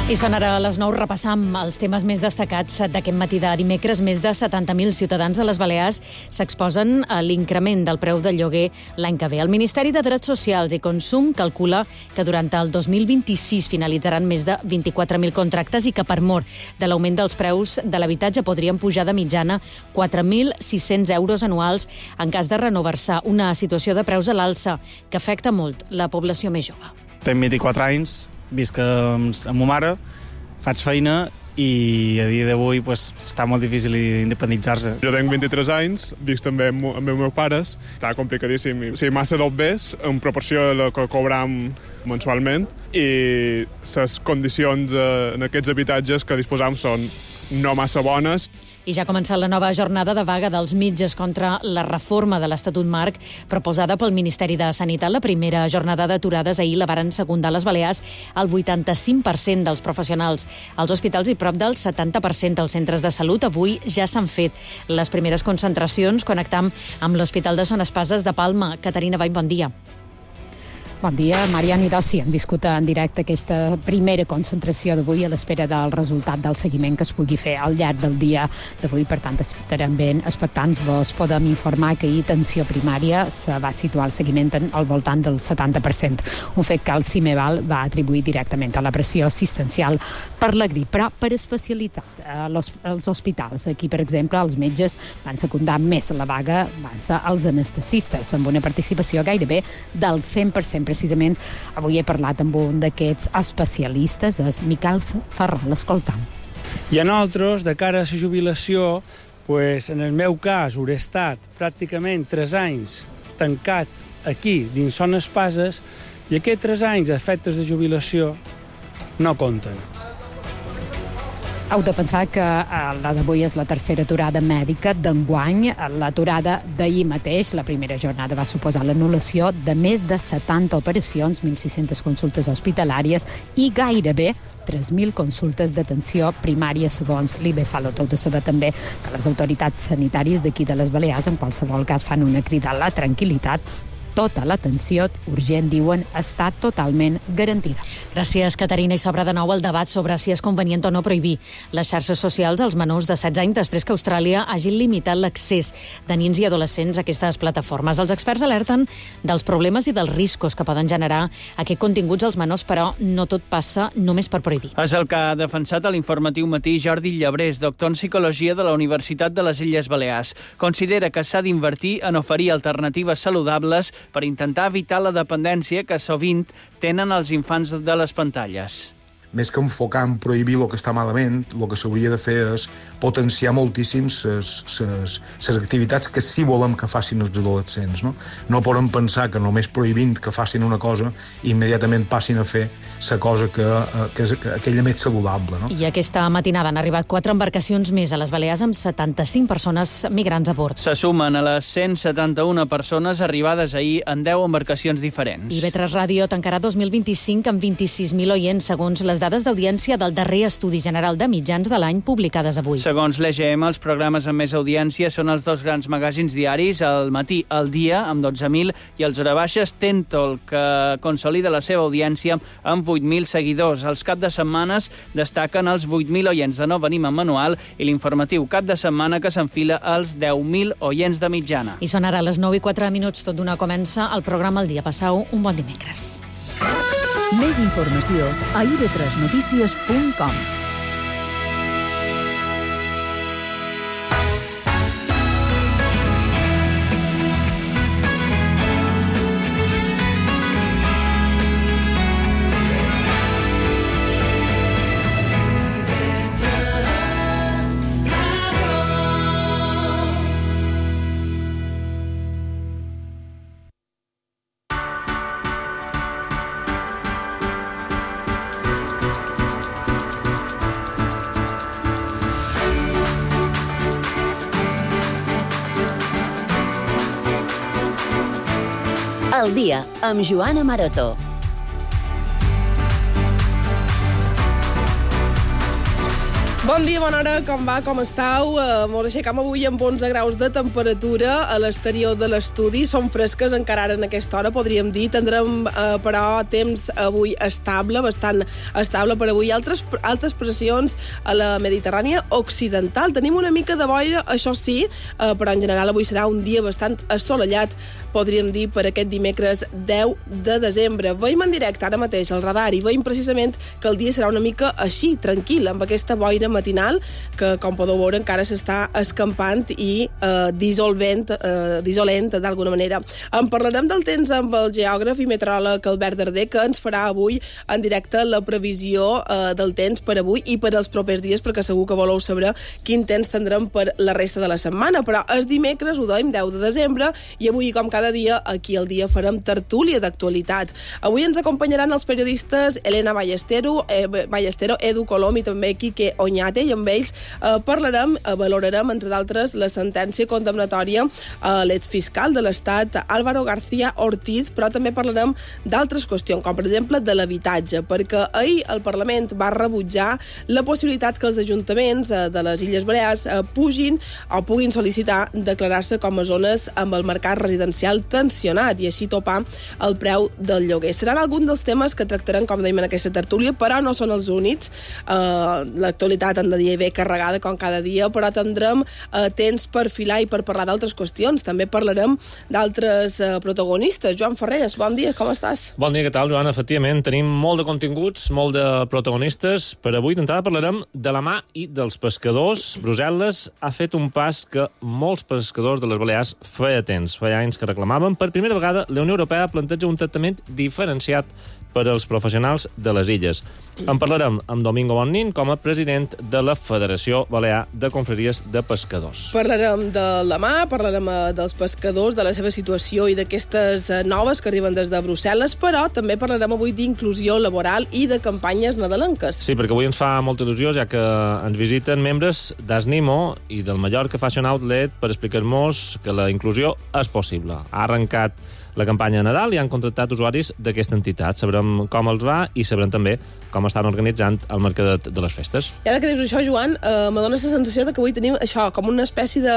I són ara a les 9, repassam els temes més destacats d'aquest matí de dimecres. Més de 70.000 ciutadans de les Balears s'exposen a l'increment del preu del lloguer l'any que ve. El Ministeri de Drets Socials i Consum calcula que durant el 2026 finalitzaran més de 24.000 contractes i que per mor de l'augment dels preus de l'habitatge podrien pujar de mitjana 4.600 euros anuals en cas de renovar-se, una situació de preus a l'alça que afecta molt la població més jove. Tenc 24 anys, visc amb ma mare, faig feina i a dia d'avui està molt difícil independitzar-se. Jo tenc 23 anys, visc també amb els meus pares, està complicadíssim. Sí, massa d'obès en proporció a la que cobram mensualment i les condicions en aquests habitatges que disposam són no massa bones. I ja ha començat la nova jornada de vaga dels metges contra la reforma de l'Estatut Marc proposada pel Ministeri de Sanitat. La primera jornada d'aturades ahir la varen secundar les Balears el 85% dels professionals als hospitals i prop del 70% als centres de salut. Avui ja s'han fet les primeres concentracions. Connectam amb l'Hospital de Son Espases de Palma. Caterina Vall, bon dia. Bon dia, Mariana i Dossi. Hem viscut en directe aquesta primera concentració d'avui a l'espera del resultat del seguiment que es pugui fer al llarg del dia d'avui. Per tant, estarem ben expectants. Vos podem informar que ahir atenció primària se va situar el seguiment al voltant del 70%, un fet que el CIMEVAL va atribuir directament a la pressió assistencial per la grip, però per especialitat als hospitals. Aquí, per exemple, els metges van secundar més la vaga, van ser els anestesistes, amb una participació gairebé del 100%. Precisament avui he parlat amb un d'aquests especialistes, és Miquel Ferral. Escoltam. I a nosaltres, de cara a la jubilació, en el meu cas, hauré estat pràcticament 3 anys tancat aquí, dins Son Espases, i aquests 3 anys a efectes de jubilació no compten. Heu de pensar que la d'avui és la tercera aturada mèdica d'enguany. L'aturada d'ahir mateix, la primera jornada, va suposar l'anul·lació de més de 70 operacions, 1.600 consultes hospitalàries i gairebé 3.000 consultes d'atenció primària, segons l'IBESALUT. Heu de saber també que les autoritats sanitàries d'aquí de les Balears, en qualsevol cas, fan una crida a la tranquil·litat. Tota l'atenció urgent, diuen, està totalment garantida. Gràcies, Caterina. I s'obre de nou el debat sobre si és convenient o no prohibir les xarxes socials als menors de 16 anys després que Austràlia hagi limitat l'accés de nens i adolescents a aquestes plataformes. Els experts alerten dels problemes i dels riscos que poden generar aquests continguts als menors, però no tot passa només per prohibir. És el que ha defensat a l'informatiu matí Jordi Llebrés, doctor en Psicologia de la Universitat de les Illes Balears. Considera que s'ha d'invertir en oferir alternatives saludables per intentar evitar la dependència que sovint tenen els infants de les pantalles. Més que enfocar en prohibir el que està malament, el que s'hauria de fer és potenciar moltíssim les activitats que sí volem que facin els adolescents. No podem pensar que només prohibint que facin una cosa immediatament passin a fer la cosa que és aquella més saludable. I aquesta matinada han arribat 4 embarcacions més a les Balears amb 75 persones migrants a bord. Se sumen a les 171 persones arribades ahir en 10 embarcacions diferents. IB3 Ràdio tancarà 2025 amb 26.000 oients, segons les dades d'audiència del darrer estudi general de mitjans de l'any publicades avui. Segons l'EGM, els programes amb més audiència són els 2 grans magazins diaris, El Matí, El Dia, amb 12.000, i els Horabaixes, Tentol, que consolida la seva audiència amb 8.000 seguidors. Els cap de setmanes destaquen els 8.000 oients de No Venim en Manual i l'informatiu cap de setmana que s'enfila als 10.000 oients de mitjana. I són ara les 9:04, tot d'una comença el programa El Dia. Passau un bon dimecres. Més informació a ib3notícies.com. El Dia, amb Joana Maroto. Bon dia, bona hora, com va, com estàu? Mos aixecam avui amb 11 graus de temperatura a l'exterior de l'estudi. Són fresques encara ara en aquesta hora, podríem dir. Tindrem, però, temps avui estable, bastant estable per avui. Altes pressions a la Mediterrània occidental. Tenim una mica de boira, això sí, però en general avui serà un dia bastant assolellat, podríem dir, per aquest dimecres 10 de desembre. Veiem en directe ara mateix al radar i veiem precisament que el dia serà una mica així, tranquil, amb aquesta boira matinal que, com podeu veure, encara s'està escampant i dissolent d'alguna manera. En parlarem del temps amb el geògraf i meteoròleg Albert Darder, que ens farà avui en directe la previsió del temps per avui i per als propers dies, perquè segur que voleu saber quin temps tindrem per la resta de la setmana. Però és dimecres, ho dèiem, 10 de desembre, i avui, com cada dia, aquí al dia farem tertúlia d'actualitat. Avui ens acompanyaran els periodistes Elena Ballestero, Edu Colom i també Quique Oñate, i amb ells valorarem, entre d'altres, la sentència condemnatòria a l'exfiscal de l'Estat, Álvaro García Ortiz, però també parlarem d'altres qüestions, com per exemple de l'habitatge, perquè ahir el Parlament va rebutjar la possibilitat que els ajuntaments de les Illes Balears puguin sol·licitar declarar-se com a zones amb el mercat residencial tensionat i així topar el preu del lloguer. Seran alguns dels temes que tractarem, com dèiem, en aquesta tertúlia, però no són els únics. L'actualitat han de dir bé carregada com cada dia, però tindrem temps per filar i per parlar d'altres qüestions. També parlarem d'altres protagonistes. Joan Ferrés, bon dia, com estàs? Bon dia, què tal, Joan? Efectivament, tenim molt de continguts, molt de protagonistes. Per avui, d'entrada, parlarem de la mà i dels pescadors. Brussel·les ha fet un pas que molts pescadors de les Balears feia temps, feia anys que reclamaven. Per primera vegada, la Unió Europea planteja un tractament diferenciat per als professionals de les illes. En parlarem amb Domingo Bonnin com a president de la Federació Balear de Confraries de Pescadors. Parlarem de la mà, parlarem dels pescadors, de la seva situació i d'aquestes noves que arriben des de Brussel·les, però també parlarem avui d'inclusió laboral i de campanyes nadalenques. Sí, perquè avui ens fa molta il·lusió, ja que ens visiten membres d'Asnimo i del Mallorca Fashion Outlet per explicar-nos que la inclusió és possible. Ha arrencat la campanya de Nadal i han contractat usuaris d'aquesta entitat. Sabrem com els va i sabrem també com estan organitzant el mercadet de les festes. I ara que dius això, Joan, me dona la sensació que avui tenim això, com una espècie de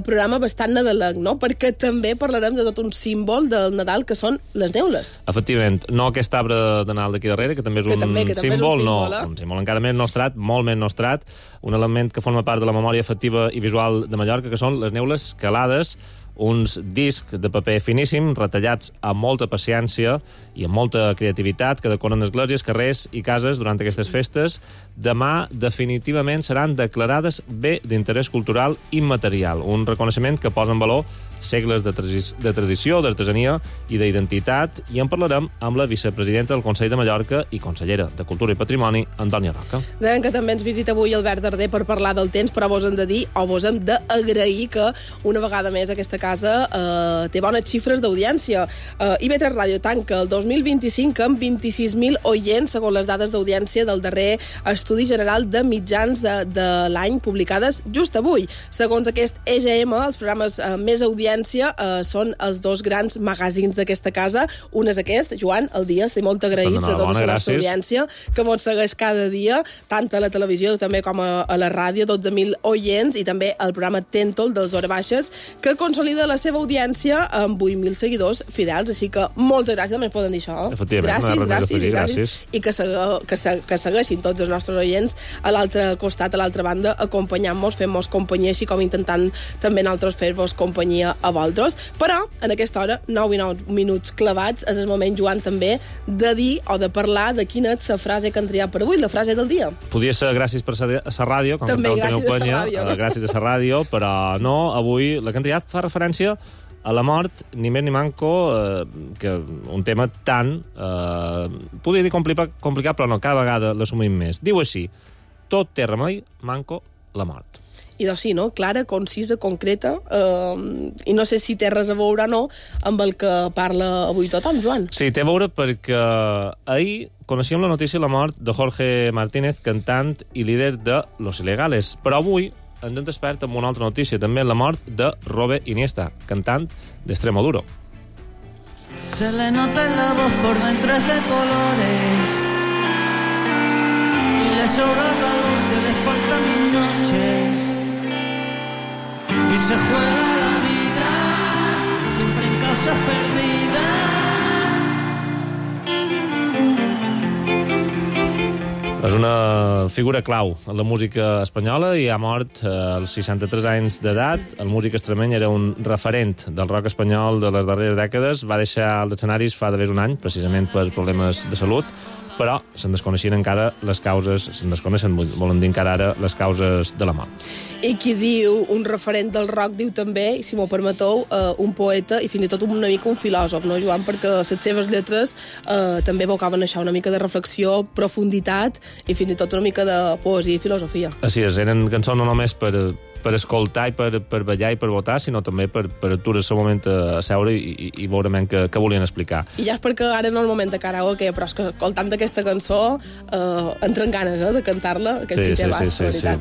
programa bastant nadalenc, no? Perquè també parlarem de tot un símbol del Nadal, que són les neules. Efectivament, no aquest arbre de Nadal d'aquí darrere, que també és un símbol, un símbol encara més nostrat, molt més nostrat, un element que forma part de la memòria afectiva i visual de Mallorca, que són les neules calades, uns discs de paper finíssim, retallats amb molta paciència i amb molta creativitat, que decoren esglésies, carrers i cases durant aquestes festes. Demà, definitivament, seran declarades bé d'interès cultural immaterial, un reconeixement que posa en valor segles de tradició, d'artesania i d'identitat, i en parlarem amb la vicepresidenta del Consell de Mallorca i consellera de Cultura i Patrimoni, Antònia Roca. Deien que també ens visita avui Albert Darder per parlar del temps, però vos hem de dir, o vos hem d'agrair que una vegada més aquesta casa té bones xifres d'audiència. IB3 Ràdio tanca el 2025 amb 26.000 oients, segons les dades d'audiència del darrer Estudi General de Mitjans de l'any, publicades just avui. Segons aquest EGM, els programes més audiència són els dos grans magazins d'aquesta casa. Un és aquest, Joan, El Dia. Estem molt agraïts a tota la nostra audiència que ens segueix cada dia, tant a la televisió també com a la ràdio, 12.000 oients, i també el programa Tentol dels Hora Baixes, que consolida la seva audiència amb 8.000 seguidors fidels. Així que moltes gràcies, també ens poden dir això. Efectivament, gràcies. I que segueixin tots els nostres oients a l'altre costat, a l'altra banda, acompanyant-nos, fent-nos companyia, així com intentant també nosaltres fer-vos companyia a vosaltres. Però, en aquesta hora, 9 i 9 minuts clavats, és el moment, Joan, també de dir o de parlar de quina és la frase que han triat per avui, la frase del dia. Podria ser gràcies per la ràdio, com també que gràcies a la ràdio, no? Gràcies a la ràdio, però no, avui la que han triat fa referència a la mort, ni més ni manco, que un tema tan, podria dir complicat, però no, cada vegada l'assumim més. Diu així: tot té remei, manco la mort. I doncs sí, no? Clara, concisa, concreta, i no sé si té res a veure o no amb el que parla avui tothom, Joan. Sí, té a veure perquè ahir coneixíem la notícia de la mort de Jorge Martínez, cantant i líder de Los Ilegales, però avui ens hem despert amb una altra notícia, també la mort de Robert Iniesta, cantant d'Extremoduro. Se le nota en la voz por dentro es de colores y le sobra el valor que le falta se juega la vida, siempre en causas perdidas. És una figura clau en la música espanyola i ha mort als 63 anys d'edat. El músic extremeny era un referent del rock espanyol de les darreres dècades. Va deixar els escenaris fa d'haver un any, precisament per problemes de salut, però se'n desconeixien encara les causes, volen dir encara ara, les causes de la mort. I qui diu un referent del rock diu també, i si m'ho permeteu, un poeta i fins i tot una mica un filòsof, no, Joan? Perquè les seves lletres també evocaven això, una mica de reflexió, profunditat i fins i tot una mica de poesia i filosofia. Així és, eren cançons no només per escoltar i per ballar i per votar, sinó també per aturar-se un moment a seure i veure què volien explicar. I ja és perquè ara no és el moment de karaoke, però és que escoltant aquesta cançó entren ganes de cantar-la, aquest sí, veritat.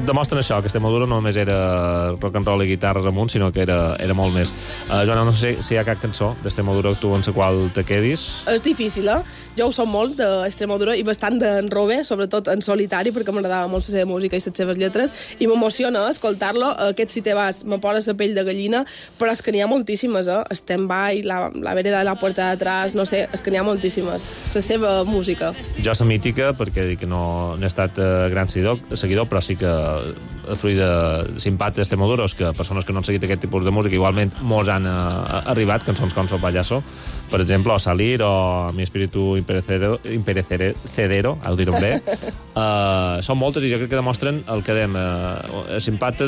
Demostren això, que Extremadura no només era rock and roll i guitarres amunt, sinó que era molt més. Joana, no sé si hi ha cap cançó d'Extremadura tu en la qual te quedis. És difícil, Jo ho som molt d'Extremadura i bastant d'en Robe, sobretot en solitari, perquè m'agradava molt la seva música i les seves lletres, i m'emociona escoltar-lo. Aquest Si te vas me posa la pell de gallina, però és que n'hi ha moltíssimes, Stand By, la vereda de la puerta de atrás, no sé, és que n'hi ha moltíssimes. La seva música. Jo la mítica, perquè dic que no he estat gran seguidor, però sí que fruit de simpàtia d'Extremadura, que persones que no han seguit aquest tipus de música igualment molts han arribat, cançons com So Payaso, per exemple, o Salir, o Mi Espíritu Imperecedero, ho diré bé. Són moltes i jo crec que demostren el que dèiem, simpàtia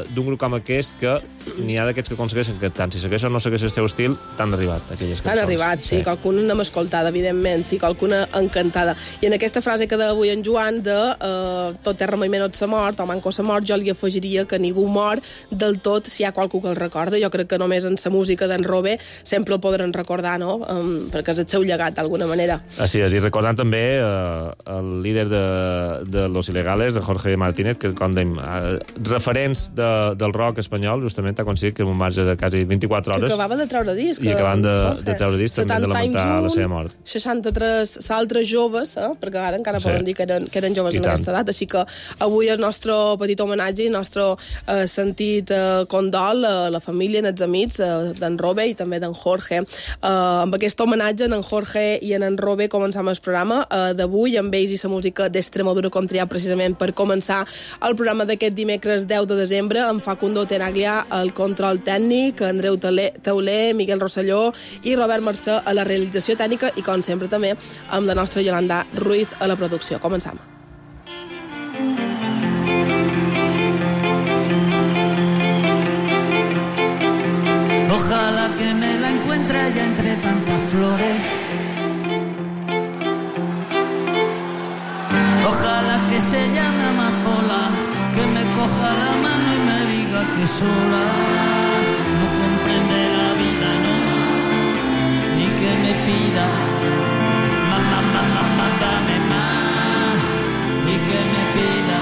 d'un grup com aquest, que n'hi ha d'aquests que aconsegueixen que tant si segueixen o no segueixen el seu estil, t'han arribat aquelles cançons. Han arribat, sí. Qualcuna n'hem escoltada, evidentment, i qualcuna encantada. I en aquesta frase que deia avui en Joan de tot terra mai menys s'ha mort, o manco s'ha mort, jo li afegiria que ningú mor del tot si hi ha qualcú que el recorda. Jo crec que només en la música d'en Robe sempre el podran recordar, no? Perquè és el seu llegat, d'alguna manera. Així és, i recordant també el líder de Los Ilegales, de Jorge Martínez, que com dèiem, referents del rock espanyol, justament ha aconseguit que en un marge de quasi 24 hores... Que acabava de treure disc. I acabant de treure disc també de lamentar la seva mort. 63 altres joves, perquè ara encara poden dir que eren joves en aquesta edat, així que avui el nostre petit homenatge i el nostre sentit condol a la família, als amics d'en Robe i també d'en Jorge. Amb aquest homenatge en Jorge i en Robe començam el programa d'avui, amb ells i la música d'Extremadura com triar precisament per començar el programa d'aquest dimecres 10 de desembre, amb Facundo Tenaglia al control tècnic, Andreu Tauler, Miguel Rosselló i Robert Mercè a la realització tècnica i, com sempre, també amb la nostra Yolanda Ruiz a la producció. Començam. Ojalá que me la encuentre allá entre tantas flores. Ojalá que se llame amapola, que me coja la mano y me diga que sola no comprende la vida, no, y que me pida mamá, mamá, dame más, y que me pida.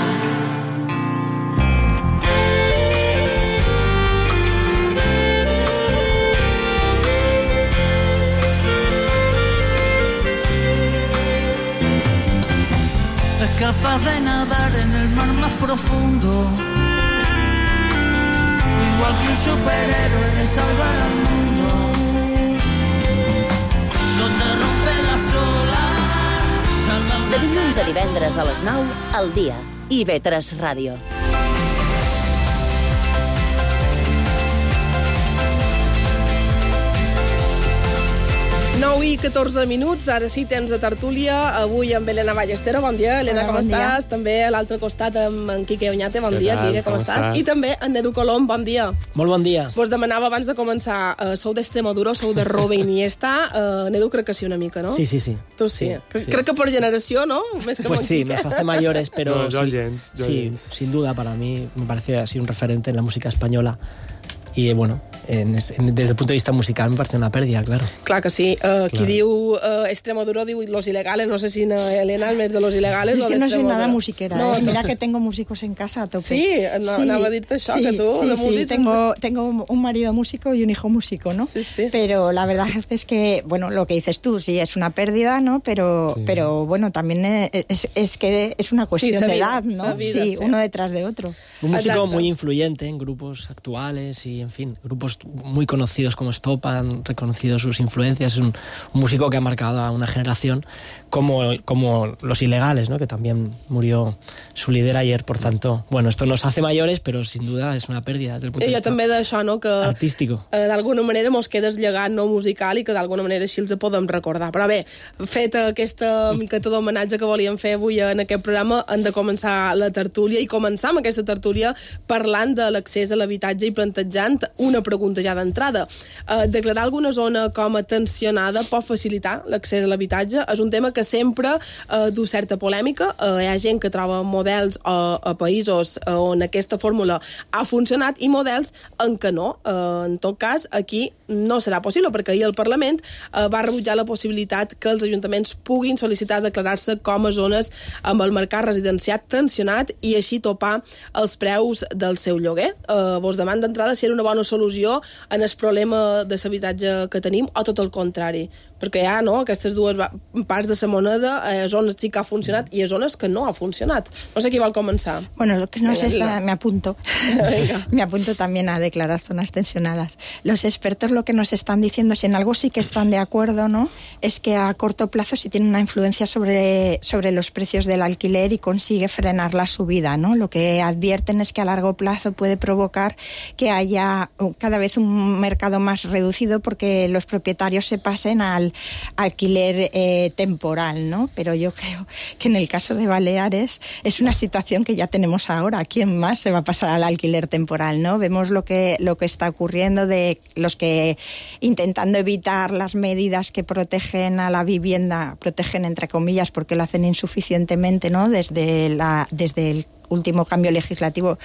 Es capaz de nadar en el mar más profundo, igual que un superhéroe de salvar al mundo, donde rompe las olas. De dilluns a divendres a les 9, al dia. IB3 Ràdio. 9 i 14 minuts, ara sí, temps de tertúlia, avui amb Elena Ballestero, bon dia. Elena, com estàs? També a l'altre costat amb en Quique Oñate, bon dia, Quique, com estàs? I també en Edu Colom, bon dia. Molt bon dia. Vos demanava abans de començar, sou d'Extremadura, sou de Robe Iniesta, en Edu crec que sí una mica, ¿no? Sí. Tu sí. Crec que por generació, ¿no? Més que pues sí, nos hace mayores, pero no, gens, sí, sin duda para mí me parece así un referente en la música española. Y bueno, desde el punto de vista musical me parece una pérdida, claro. Clar que sí. Qui diu Extremoduro diu Los Ilegales, no sé si Elena el mes de Los Ilegales o de Extremoduro. Es que no soy nada musiquera, no, mira que tengo músicos en casa a tope. Sí, anava a dir-te això, que tu de música... Sí, tengo un marido músico y un hijo músico, ¿no? Sí. Pero la verdad es que, bueno, lo que dices tú, sí, es una pérdida, ¿no? Pero bueno, también es que es una cuestión de edad, ¿no? Sí, uno detrás de otro. Un músico muy influyente en grupos actuales y, en fin, grupos muy conocidos como Estopa han reconocido sus influencias. Es un músico que ha marcado a una generación como Los Ilegales, ¿no? Que también murió su líder ayer, por tanto, bueno, esto nos hace mayores, pero sin duda es una pérdida desde el punto de vista també d'això, no? Que artístico. D'alguna manera mos queda el llegat no musical i que d'alguna manera així els podem recordar. Però bé, fet aquesta miqueta d'homenatge que volíem fer avui en aquest programa, hem de començar la tertúlia i començar amb aquesta tertúlia parlant de l'accés a l'habitatge i plantejant una pregunta ja d'entrada. Declarar alguna zona com a tensionada pot facilitar l'accés a l'habitatge? És un tema que sempre du certa polèmica. Hi ha gent que troba models a països on aquesta fórmula ha funcionat i models en què no. En tot cas, aquí no serà possible, perquè ahir el Parlament va rebutjar la possibilitat que els ajuntaments puguin sol·licitar declarar-se com a zones amb el mercat residenciat tensionat i així topar els preus del seu lloguer. Vos demano d'entrada si era una bona solució en el problema de l'habitatge que tenim o tot el contrari, perquè hi ha aquestes dues parts de la moneda, zones sí que ha funcionat i zones que no ha funcionat. No sé qui vol començar. Bueno, lo que no sé es me apunto. Me apunto también a declarar zonas tensionadas. Los expertos lo que nos están diciendo, si en algo sí que están de acuerdo, ¿no? Es que a corto plazo sí tiene una influencia sobre los precios del alquiler y consigue frenar la subida, ¿no? Lo que advierten es que a largo plazo puede provocar que haya cada vez un mercado más reducido porque los propietarios se pasen al alquiler temporal, ¿no? Pero yo creo que en el caso de Baleares es una situación que ya tenemos ahora. ¿Quién más se va a pasar al alquiler temporal, no? Vemos lo que está ocurriendo de los que intentando evitar las medidas que protegen a la vivienda, protegen entre comillas porque lo hacen insuficientemente, ¿no? Desde el último cambio legislativo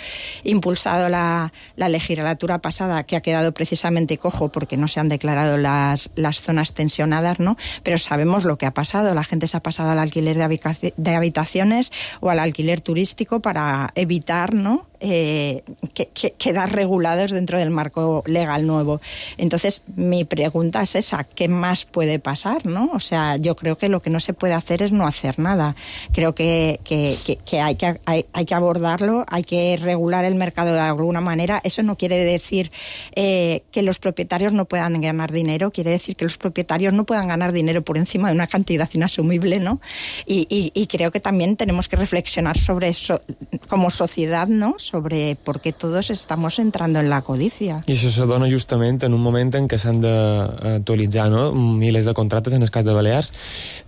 impulsado la legislatura pasada, que ha quedado precisamente cojo porque no se han declarado las zonas tensionadas, ¿no? Pero sabemos lo que ha pasado. La gente se ha pasado al alquiler de habitaciones o al alquiler turístico para evitar, ¿no? Quedar regulados dentro del marco legal nuevo. Entonces, mi pregunta es esa: ¿qué más puede pasar, no? O sea, yo creo que lo que no se puede hacer es no hacer nada. Creo que hay que abordarlo, hay que regular el mercado de alguna manera. Eso no quiere decir que los propietarios no puedan ganar dinero, quiere decir que los propietarios no puedan ganar dinero por encima de una cantidad inasumible, ¿no? Y creo que también tenemos que reflexionar sobre eso como sociedad, ¿no? Sobre por què tots estamos entrando en la codicia. I això se dona justament en un moment en què s'han d'actualitzar, no? Milers de contractes en el cas de Balears.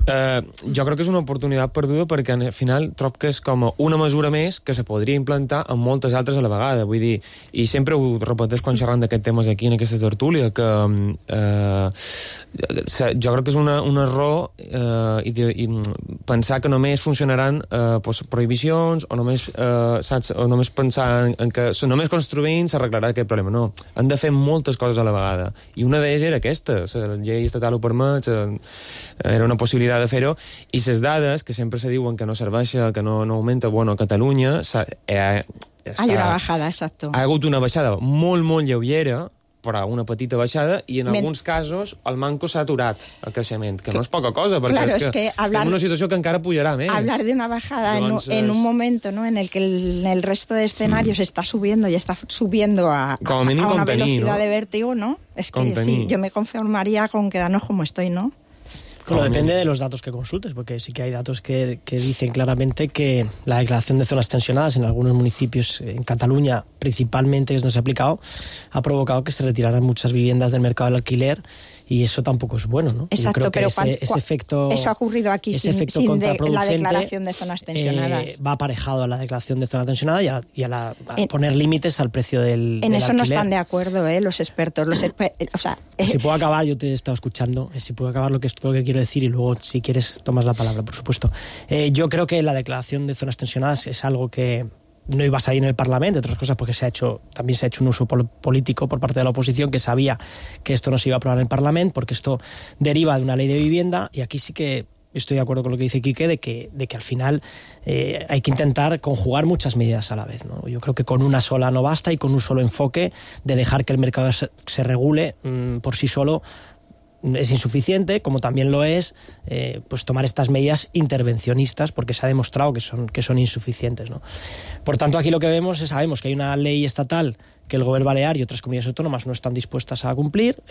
Jo crec que és una oportunitat perduda perquè al final trobo que és com una mesura més que se podria implantar en moltes altres a la vegada. Vull dir, i sempre ho repeteix quan xerrant d'aquests temes aquí en aquesta tertúlia, que jo crec que és un error i pensar que només funcionaran prohibicions o només pensar en que només construint s'arreglarà aquest problema. No, han de fer moltes coses a la vegada. I una d'elles era aquesta. La llei estatal ho permet, era una possibilitat de fer-ho, i les dades, que sempre se diuen que no serveixen, que no augmenta, bueno, a Catalunya... Hay una bajada, exacto. Ha hagut una baixada molt, molt lleugera, però una petita baixada, i en alguns casos el manco s'ha aturat el creixement, que no és poca cosa, perquè claro, és que estem en una situació que encara pujarà més. Hablar de una bajada en un momento, ¿no? En el que el resto de escenarios está subiendo y está subiendo a una velocidad de vértigo, ¿no? Es que sí, yo me conformaría con quedarnos como estoy, ¿no? Bueno, depende de los datos que consultes, porque sí que hay datos que dicen claramente que la declaración de zonas tensionadas en algunos municipios, en Cataluña principalmente, que no se ha aplicado, ha provocado que se retiraran muchas viviendas del mercado del alquiler, y eso tampoco es bueno, ¿no? Exacto, yo creo pero que ese efecto, eso ha ocurrido aquí sin la declaración de zonas tensionadas. Va aparejado a la declaración de zona tensionada y a poner límites al precio del En eso alquiler. no están de acuerdo, los expertos. O sea, si puedo acabar, yo te he estado escuchando, si puedo acabar lo que quiero decir y luego, si quieres, tomas la palabra, por supuesto. Yo creo que la declaración de zonas tensionadas es algo que no iba a salir en el Parlamento, entre otras cosas porque también se ha hecho un uso político por parte de la oposición, que sabía que esto no se iba a aprobar en el Parlamento, porque esto deriva de una ley de vivienda, y aquí sí que estoy de acuerdo con lo que dice Quique, de que al final hay que intentar conjugar muchas medidas a la vez, ¿no? Yo creo que con una sola no basta, y con un solo enfoque de dejar que el mercado se regule por sí solo es insuficiente, como también lo es pues tomar estas medidas intervencionistas, porque se ha demostrado que son insuficientes, ¿no? Por tanto, aquí lo que sabemos que hay una ley estatal que el Gobierno Balear y otras comunidades autónomas no están dispuestas a cumplir,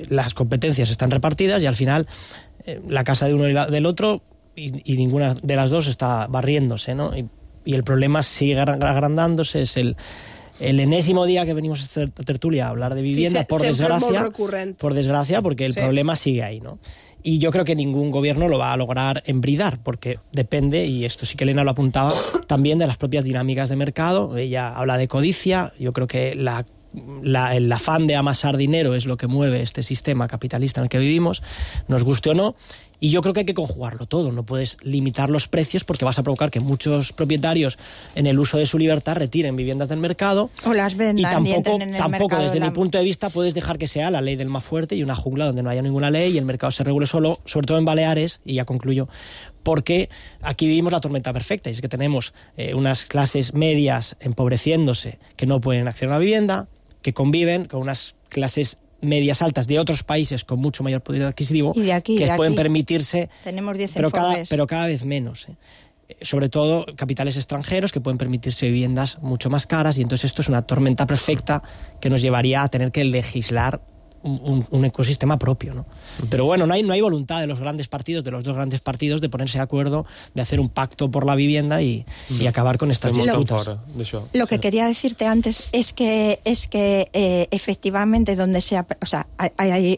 las competencias están repartidas y al final la casa de uno y del otro, y ninguna de las dos está barriéndose, ¿no? Y el problema sigue agrandándose. Es el enésimo día que venimos a esta tertulia a hablar de vivienda, por desgracia, porque el problema sigue ahí, ¿no? Y yo creo que ningún gobierno lo va a lograr embridar, porque depende, y esto sí que Elena lo apuntaba, también de las propias dinámicas de mercado. Ella habla de codicia. Yo creo que el afán de amasar dinero es lo que mueve este sistema capitalista en el que vivimos, nos guste o no. Y yo creo que hay que conjugarlo todo. No puedes limitar los precios, porque vas a provocar que muchos propietarios, en el uso de su libertad, retiren viviendas del mercado. O las vendan y entren en el mercado. Desde mi punto de vista, puedes dejar que sea la ley del más fuerte y una jungla donde no haya ninguna ley y el mercado se regule solo, sobre todo en Baleares, y ya concluyo, porque aquí vivimos la tormenta perfecta, y es que tenemos unas clases medias empobreciéndose que no pueden acceder a la vivienda, que conviven con unas clases medias altas de otros países con mucho mayor poder adquisitivo, que pueden permitirse, tenemos 10 pero cada vez menos, sobre todo capitales extranjeros que pueden permitirse viviendas mucho más caras, y entonces esto es una tormenta perfecta que nos llevaría a tener que legislar un ecosistema propio, ¿no? Pero bueno, no hay voluntad de los grandes partidos, de los dos grandes partidos, de ponerse de acuerdo, de hacer un pacto por la vivienda y acabar con estas disputas. Lo que quería decirte antes es que efectivamente donde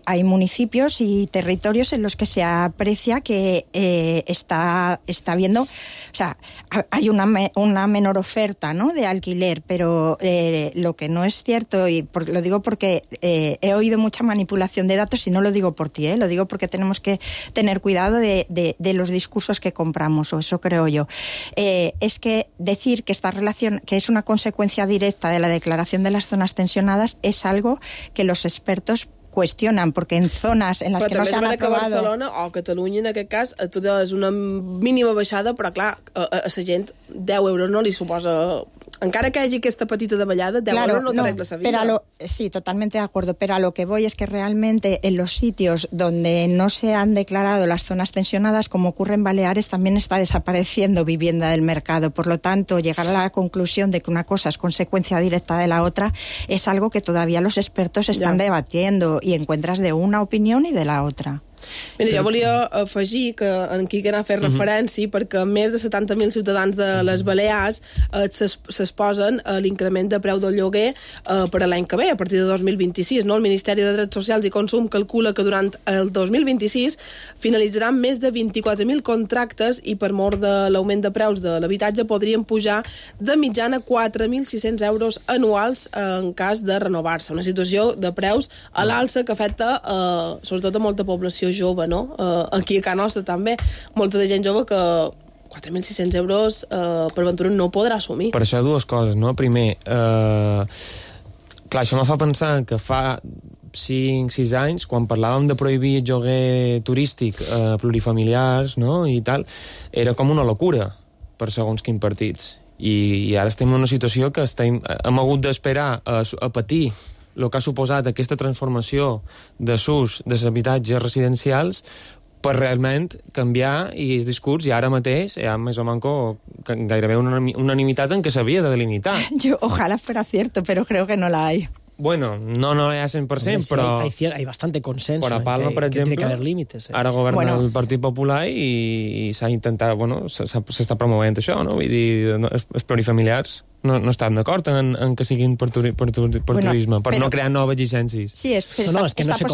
hay municipios y territorios en los que se aprecia que está habiendo, o sea, hay una menor oferta, ¿no?, de alquiler, pero lo que no es cierto, y lo digo porque he oído mucha manipulación de datos, y no lo digo por ti, lo digo porque tenemos que tener cuidado de los discursos que compramos, o eso creo yo. Es que decir que esta relación, que es una consecuencia directa de la declaración de las zonas tensionadas, es algo que los expertos cuestionen, perquè en zones en les que no s'han aprovat... Però també és que Barcelona o Catalunya, en aquest cas, tu és una mínima baixada, però clar, a la gent 10 euros no li suposa... Encara que hagi aquesta petita davallada, 10 euros no t'arregla la vida. Sí, totalmente de acuerdo, pero a lo que voy es que realmente en los sitios donde no se han declarado las zonas tensionadas, como ocurre en Baleares, también está desapareciendo vivienda del mercado. Por lo tanto, llegar a la conclusión de que una cosa es consecuencia directa de la otra es algo que todavía los expertos están debatiendo, i encuentras de una opinió i de la otra. Mira, jo volia afegir que en Quique n'ha fet referència, perquè més de 70.000 ciutadans de les Balears s'exposen a l'increment de preu del lloguer per a l'any que ve, a partir de 2026. No? El Ministeri de Drets Socials i Consum calcula que durant el 2026 finalitzaran més de 24.000 contractes, i per mort de l'augment de preus de l'habitatge podrien pujar de mitjana 4.600 euros anuals en cas de renovar-se. Una situació de preus a l'alça que afecta sobretot a molta població jove, no? Aquí a casa nostra també, molta de gent jove que 4.600 euros per aventura no podrà assumir. Per això dues coses, no? Primer, clar, això me fa pensar que fa 5-6 anys, quan parlàvem de prohibir el lloguer turístic plurifamiliars, no?, i tal, era com una locura per segons quins partits. I ara estem en una situació que hem hagut d'esperar a patir el que ha suposat aquesta transformació de s'ús dels habitatges residencials per realment canviar el discurs, i ara mateix hi ha més o manco gairebé una unanimitat en què s'havia de delimitar. Ojalá fuera cierto, pero creo que no la hay. Bueno, no hi ha 100%, però... Hay bastante consenso en que tiene que haver límites. Ara governa el Partit Popular i s'ha intentat, s'està promovent això, no? Vull dir, els plurifamiliars no estan d'acord en que siguin per turisme, per no crear noves llicències. Sí, esta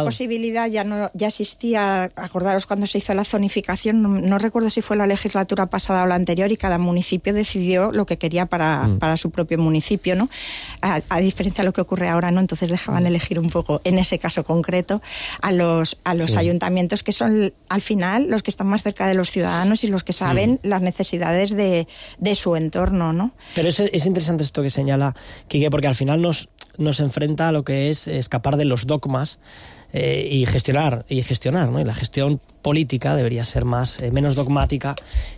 posibilidad ya existía. Acordaros cuando se hizo la zonificación, no recuerdo si fue la legislatura pasada o la anterior, y cada municipio decidió lo que quería para su propio municipio, ¿no? A diferencia de lo que ocurre ahora, ¿no? Entonces dejaban elegir un poco, en ese caso concreto, a los ayuntamientos, que son al final los que están más cerca de los ciudadanos y los que saben las necesidades de su entorno. entorno, ¿no? Pero es interesante esto que señala Quique, porque al final nos enfrenta a lo que es escapar de los dogmas y gestionar, ¿no? Y la gestión política debería ser menos dogmática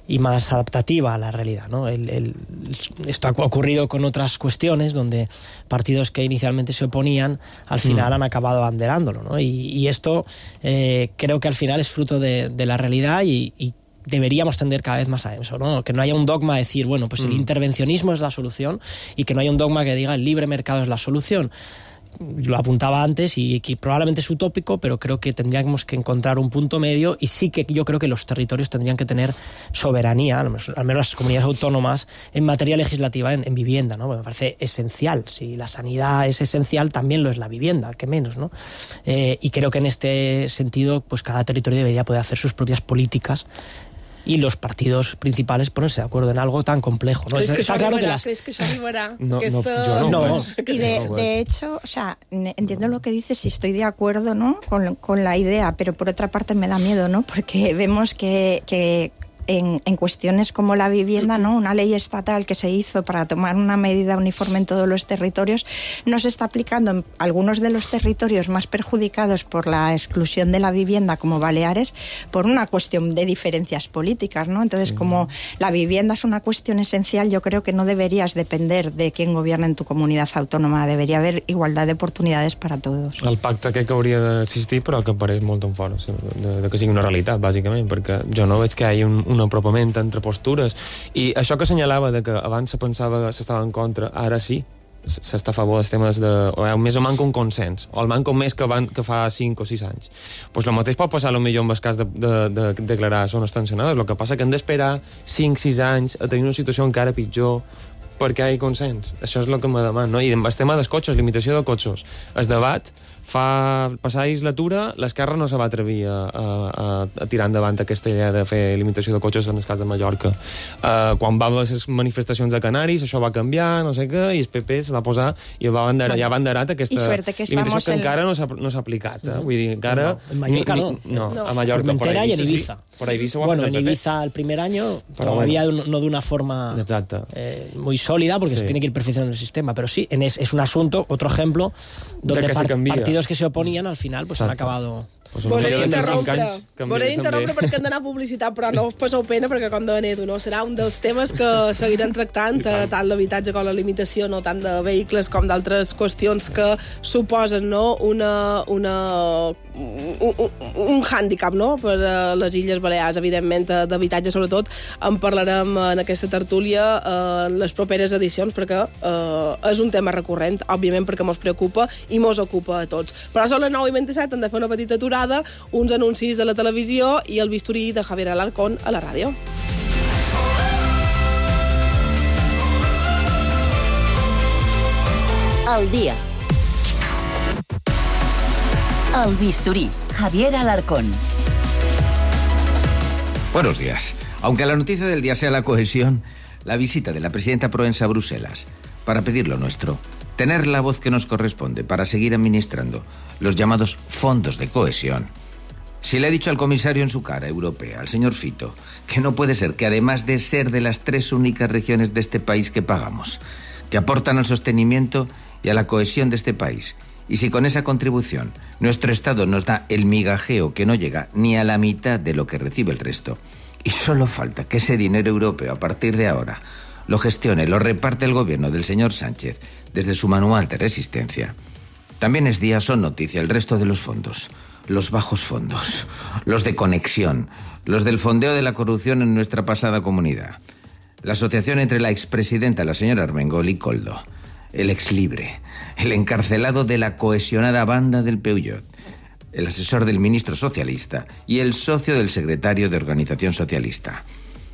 y más adaptativa a la realidad, ¿no? Esto ha ocurrido con otras cuestiones donde partidos que inicialmente se oponían al final han acabado abanderándolo, ¿no? Y esto creo que al final es fruto de la realidad y deberíamos tender cada vez más a eso, ¿no? Que no haya un dogma de decir, bueno, pues el intervencionismo es la solución, y que no haya un dogma que diga el libre mercado es la solución. Lo apuntaba antes y que probablemente es utópico, pero creo que tendríamos que encontrar un punto medio, y sí que yo creo que los territorios tendrían que tener soberanía, al menos las comunidades autónomas, en materia legislativa en vivienda, ¿no? Me parece esencial. Si la sanidad es esencial, también lo es la vivienda, que menos, ¿no? Y creo que en este sentido, pues cada territorio debería poder hacer sus propias políticas y los partidos principales ponerse de acuerdo en algo tan complejo, ¿no? ¿Crees que eso arribará? No. Y de hecho, o sea, entiendo lo que dices y estoy de acuerdo, ¿no? con la idea, pero por otra parte me da miedo, ¿no? Porque vemos que en cuestiones como la vivienda, ¿no? Una ley estatal que se hizo para tomar una medida uniforme en todos los territorios no se está aplicando en algunos de los territorios más perjudicados por la exclusión de la vivienda, como Baleares, por una cuestión de diferencias políticas, ¿no? Entonces, como la vivienda es una cuestión esencial, yo creo que no deberías depender de quién gobierna en tu comunitat autònoma. Debería haver igualdad de oportunidades para todos. El pacte aquest que hauria d'existir, però que apareix molt en fora, de que sigui una realitat, bàsicament, perquè jo no veig que hi hagi un apropament entre postures. I això que assenyalava de que abans se pensava que s'estava en contra, ara sí, s'està a favor dels temes més o manca un consens, o el manca més que fa 5 o 6 anys. Pues el mateix pot passar potser amb el cas de declarar zones tensionades. El que passa que hem d'esperar 5-6 anys a tenir una situació encara pitjor perquè hi ha consens. Això és el que me demano, no? I amb el tema dels cotxes, limitació de cotxes, el debat fa passar la legislatura, l'esquerra no se va atrevir a tirar endavant aquesta idea de fer limitació de cotxes en el cas de Mallorca. Quan va haver les manifestacions de Canaris, això va canviar, no sé què, i el PP se va posar i ja va banderat aquesta limitació que encara no s'ha aplicat. Vull dir, encara... En Mallorca no. No, a Mallorca. Formentera y en Ibiza. Por Ibiza bueno, en Ibiza el primer año todavía no de una forma muy sólida, porque se tiene que ir perfeccionando el sistema, pero sí, es un asunto, otro ejemplo, donde partidos que se oponían al final pues han acabado... Volem interrompre perquè hem d'anar a publicitat, però no us passeu pena perquè com de Benedo, no? Serà un dels temes que seguiran tractant, tant l'habitatge com la limitació, no tant de vehicles com d'altres qüestions que suposen, no? un hàndicap, no? Per a les Illes Balears, evidentment, d'habitatge sobretot. En parlarem en aquesta tertúlia en les properes edicions, perquè és un tema recurrent, òbviament, perquè mos preocupa i mos ocupa a tots. Però són les 9:27, hem de fer una petita aturada, uns anuncis a la televisió i el bisturí de Javier Alarcón a la ràdio. El dia. El bisturí, Javier Alarcón. Buenos días. Aunque la noticia del día sea la cohesión, la visita de la presidenta Proença a Bruselas para pedir lo nuestro, tener la voz que nos corresponde para seguir administrando los llamados fondos de cohesión. Si le ha dicho al comisario en su cara europea, al señor Fito, que no puede ser que además de ser de las 3 únicas regiones de este país que pagamos, que aportan al sostenimiento y a la cohesión de este país, y si con esa contribución nuestro Estado nos da el migajeo que no llega ni a la mitad de lo que recibe el resto, y solo falta que ese dinero europeo a partir de ahora lo gestione, lo reparte el gobierno del señor Sánchez desde su manual de resistencia. También es día, son noticia el resto de los fondos, los bajos fondos, los de conexión, los del fondeo de la corrupción en nuestra pasada comunidad. La asociación entre la expresidenta, la señora Armengol, y Koldo, el exlibre, el encarcelado de la cohesionada banda del Peugeot, el asesor del ministro socialista y el socio del secretario de Organización Socialista.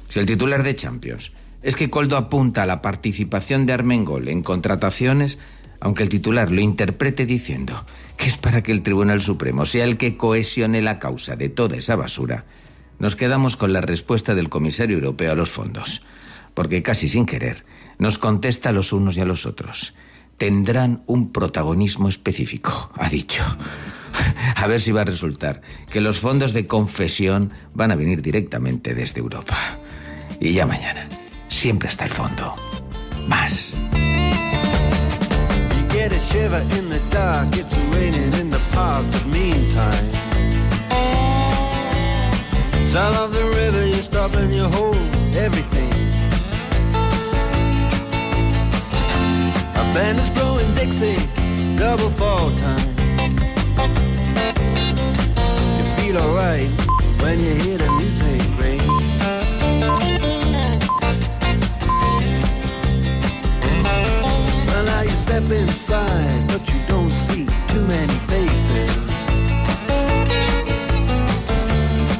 Si el titular de Champions es que Koldo apunta a la participación de Armengol en contrataciones, aunque el titular lo interprete diciendo que es para que el Tribunal Supremo sea el que cohesione la causa de toda esa basura, nos quedamos con la respuesta del comisario europeo a los fondos, porque casi sin querer nos contesta a los unos y a los otros. Tendrán un protagonismo específico, ha dicho. A ver si va a resultar que los fondos de confesión van a venir directamente desde Europa. Y ya mañana, siempre hasta el fondo. Más. You get a shiver in the dark, it's raining in the park, but meantime, sound of the river, you stop and you hold everything. A band is blowing Dixie, double fall time. You feel alright when you hear the music ring. Well, now you step inside, but you don't see too many faces.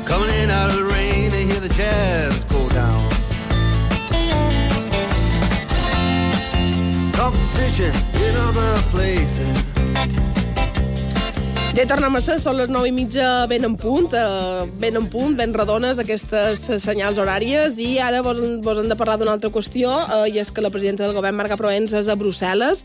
Coming in out of the rain, they hear the jazz go down. Competition in other places. Ja hi tornem a ser, són les 9:30 ben en punt, ben redones aquestes senyals horàries, i ara vos hem de parlar d'una altra qüestió, i és que la presidenta del govern, Marga Proens, és a Brussel·les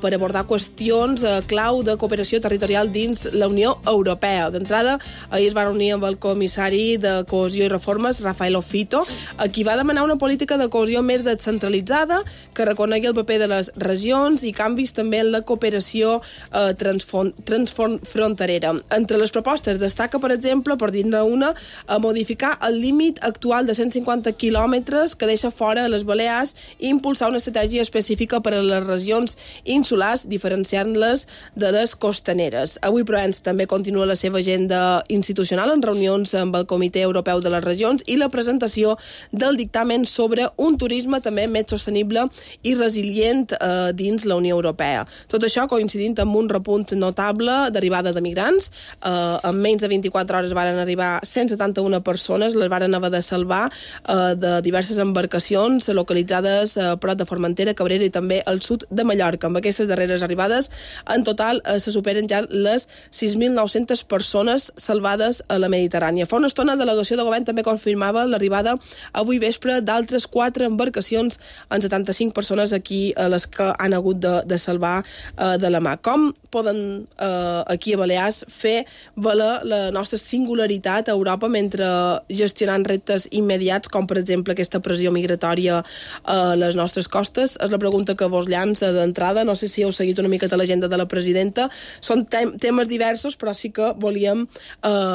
per abordar qüestions clau de cooperació territorial dins la Unió Europea. D'entrada, ahir es va reunir amb el comissari de Cohesió i Reformes, Rafael Fito, a qui va demanar una política de cohesió més descentralitzada, que reconegui el paper de les regions i canvis també en la cooperació transfronterera. Entre les propostes destaca, per exemple, per dir-ne una, a modificar el límit actual de 150 quilòmetres que deixa fora les Balears i impulsar una estratègia específica per a les regions insulars, diferenciant-les de les costaneres. Avui Proens també continua la seva agenda institucional en reunions amb el Comitè Europeu de les Regions i la presentació del dictamen sobre un turisme també més sostenible i resilient dins la Unió Europea. Tot això coincidint amb un repunt notable d'arribada de migrants. En menys de 24 hores varen arribar 171 persones, les varen haver de salvar de diverses embarcacions localitzades a prop de Formentera, Cabrera i també al sud de Mallorca. Amb aquestes darreres arribades, en total se superen ja les 6.900 persones salvades a la Mediterrània. Fa una estona, la delegació de govern també confirmava l'arribada avui vespre d'altres 4 embarcacions amb 75 persones aquí a les que han hagut de salvar de la mà. Com poden aquí a Balears fer valer la nostra singularitat a Europa mentre gestionant reptes immediats, com per exemple aquesta pressió migratòria a les nostres costes? És la pregunta que vos llança d'entrada. No sé si heu seguit una miqueta l'agenda de la presidenta. Són temes diversos, però sí que volíem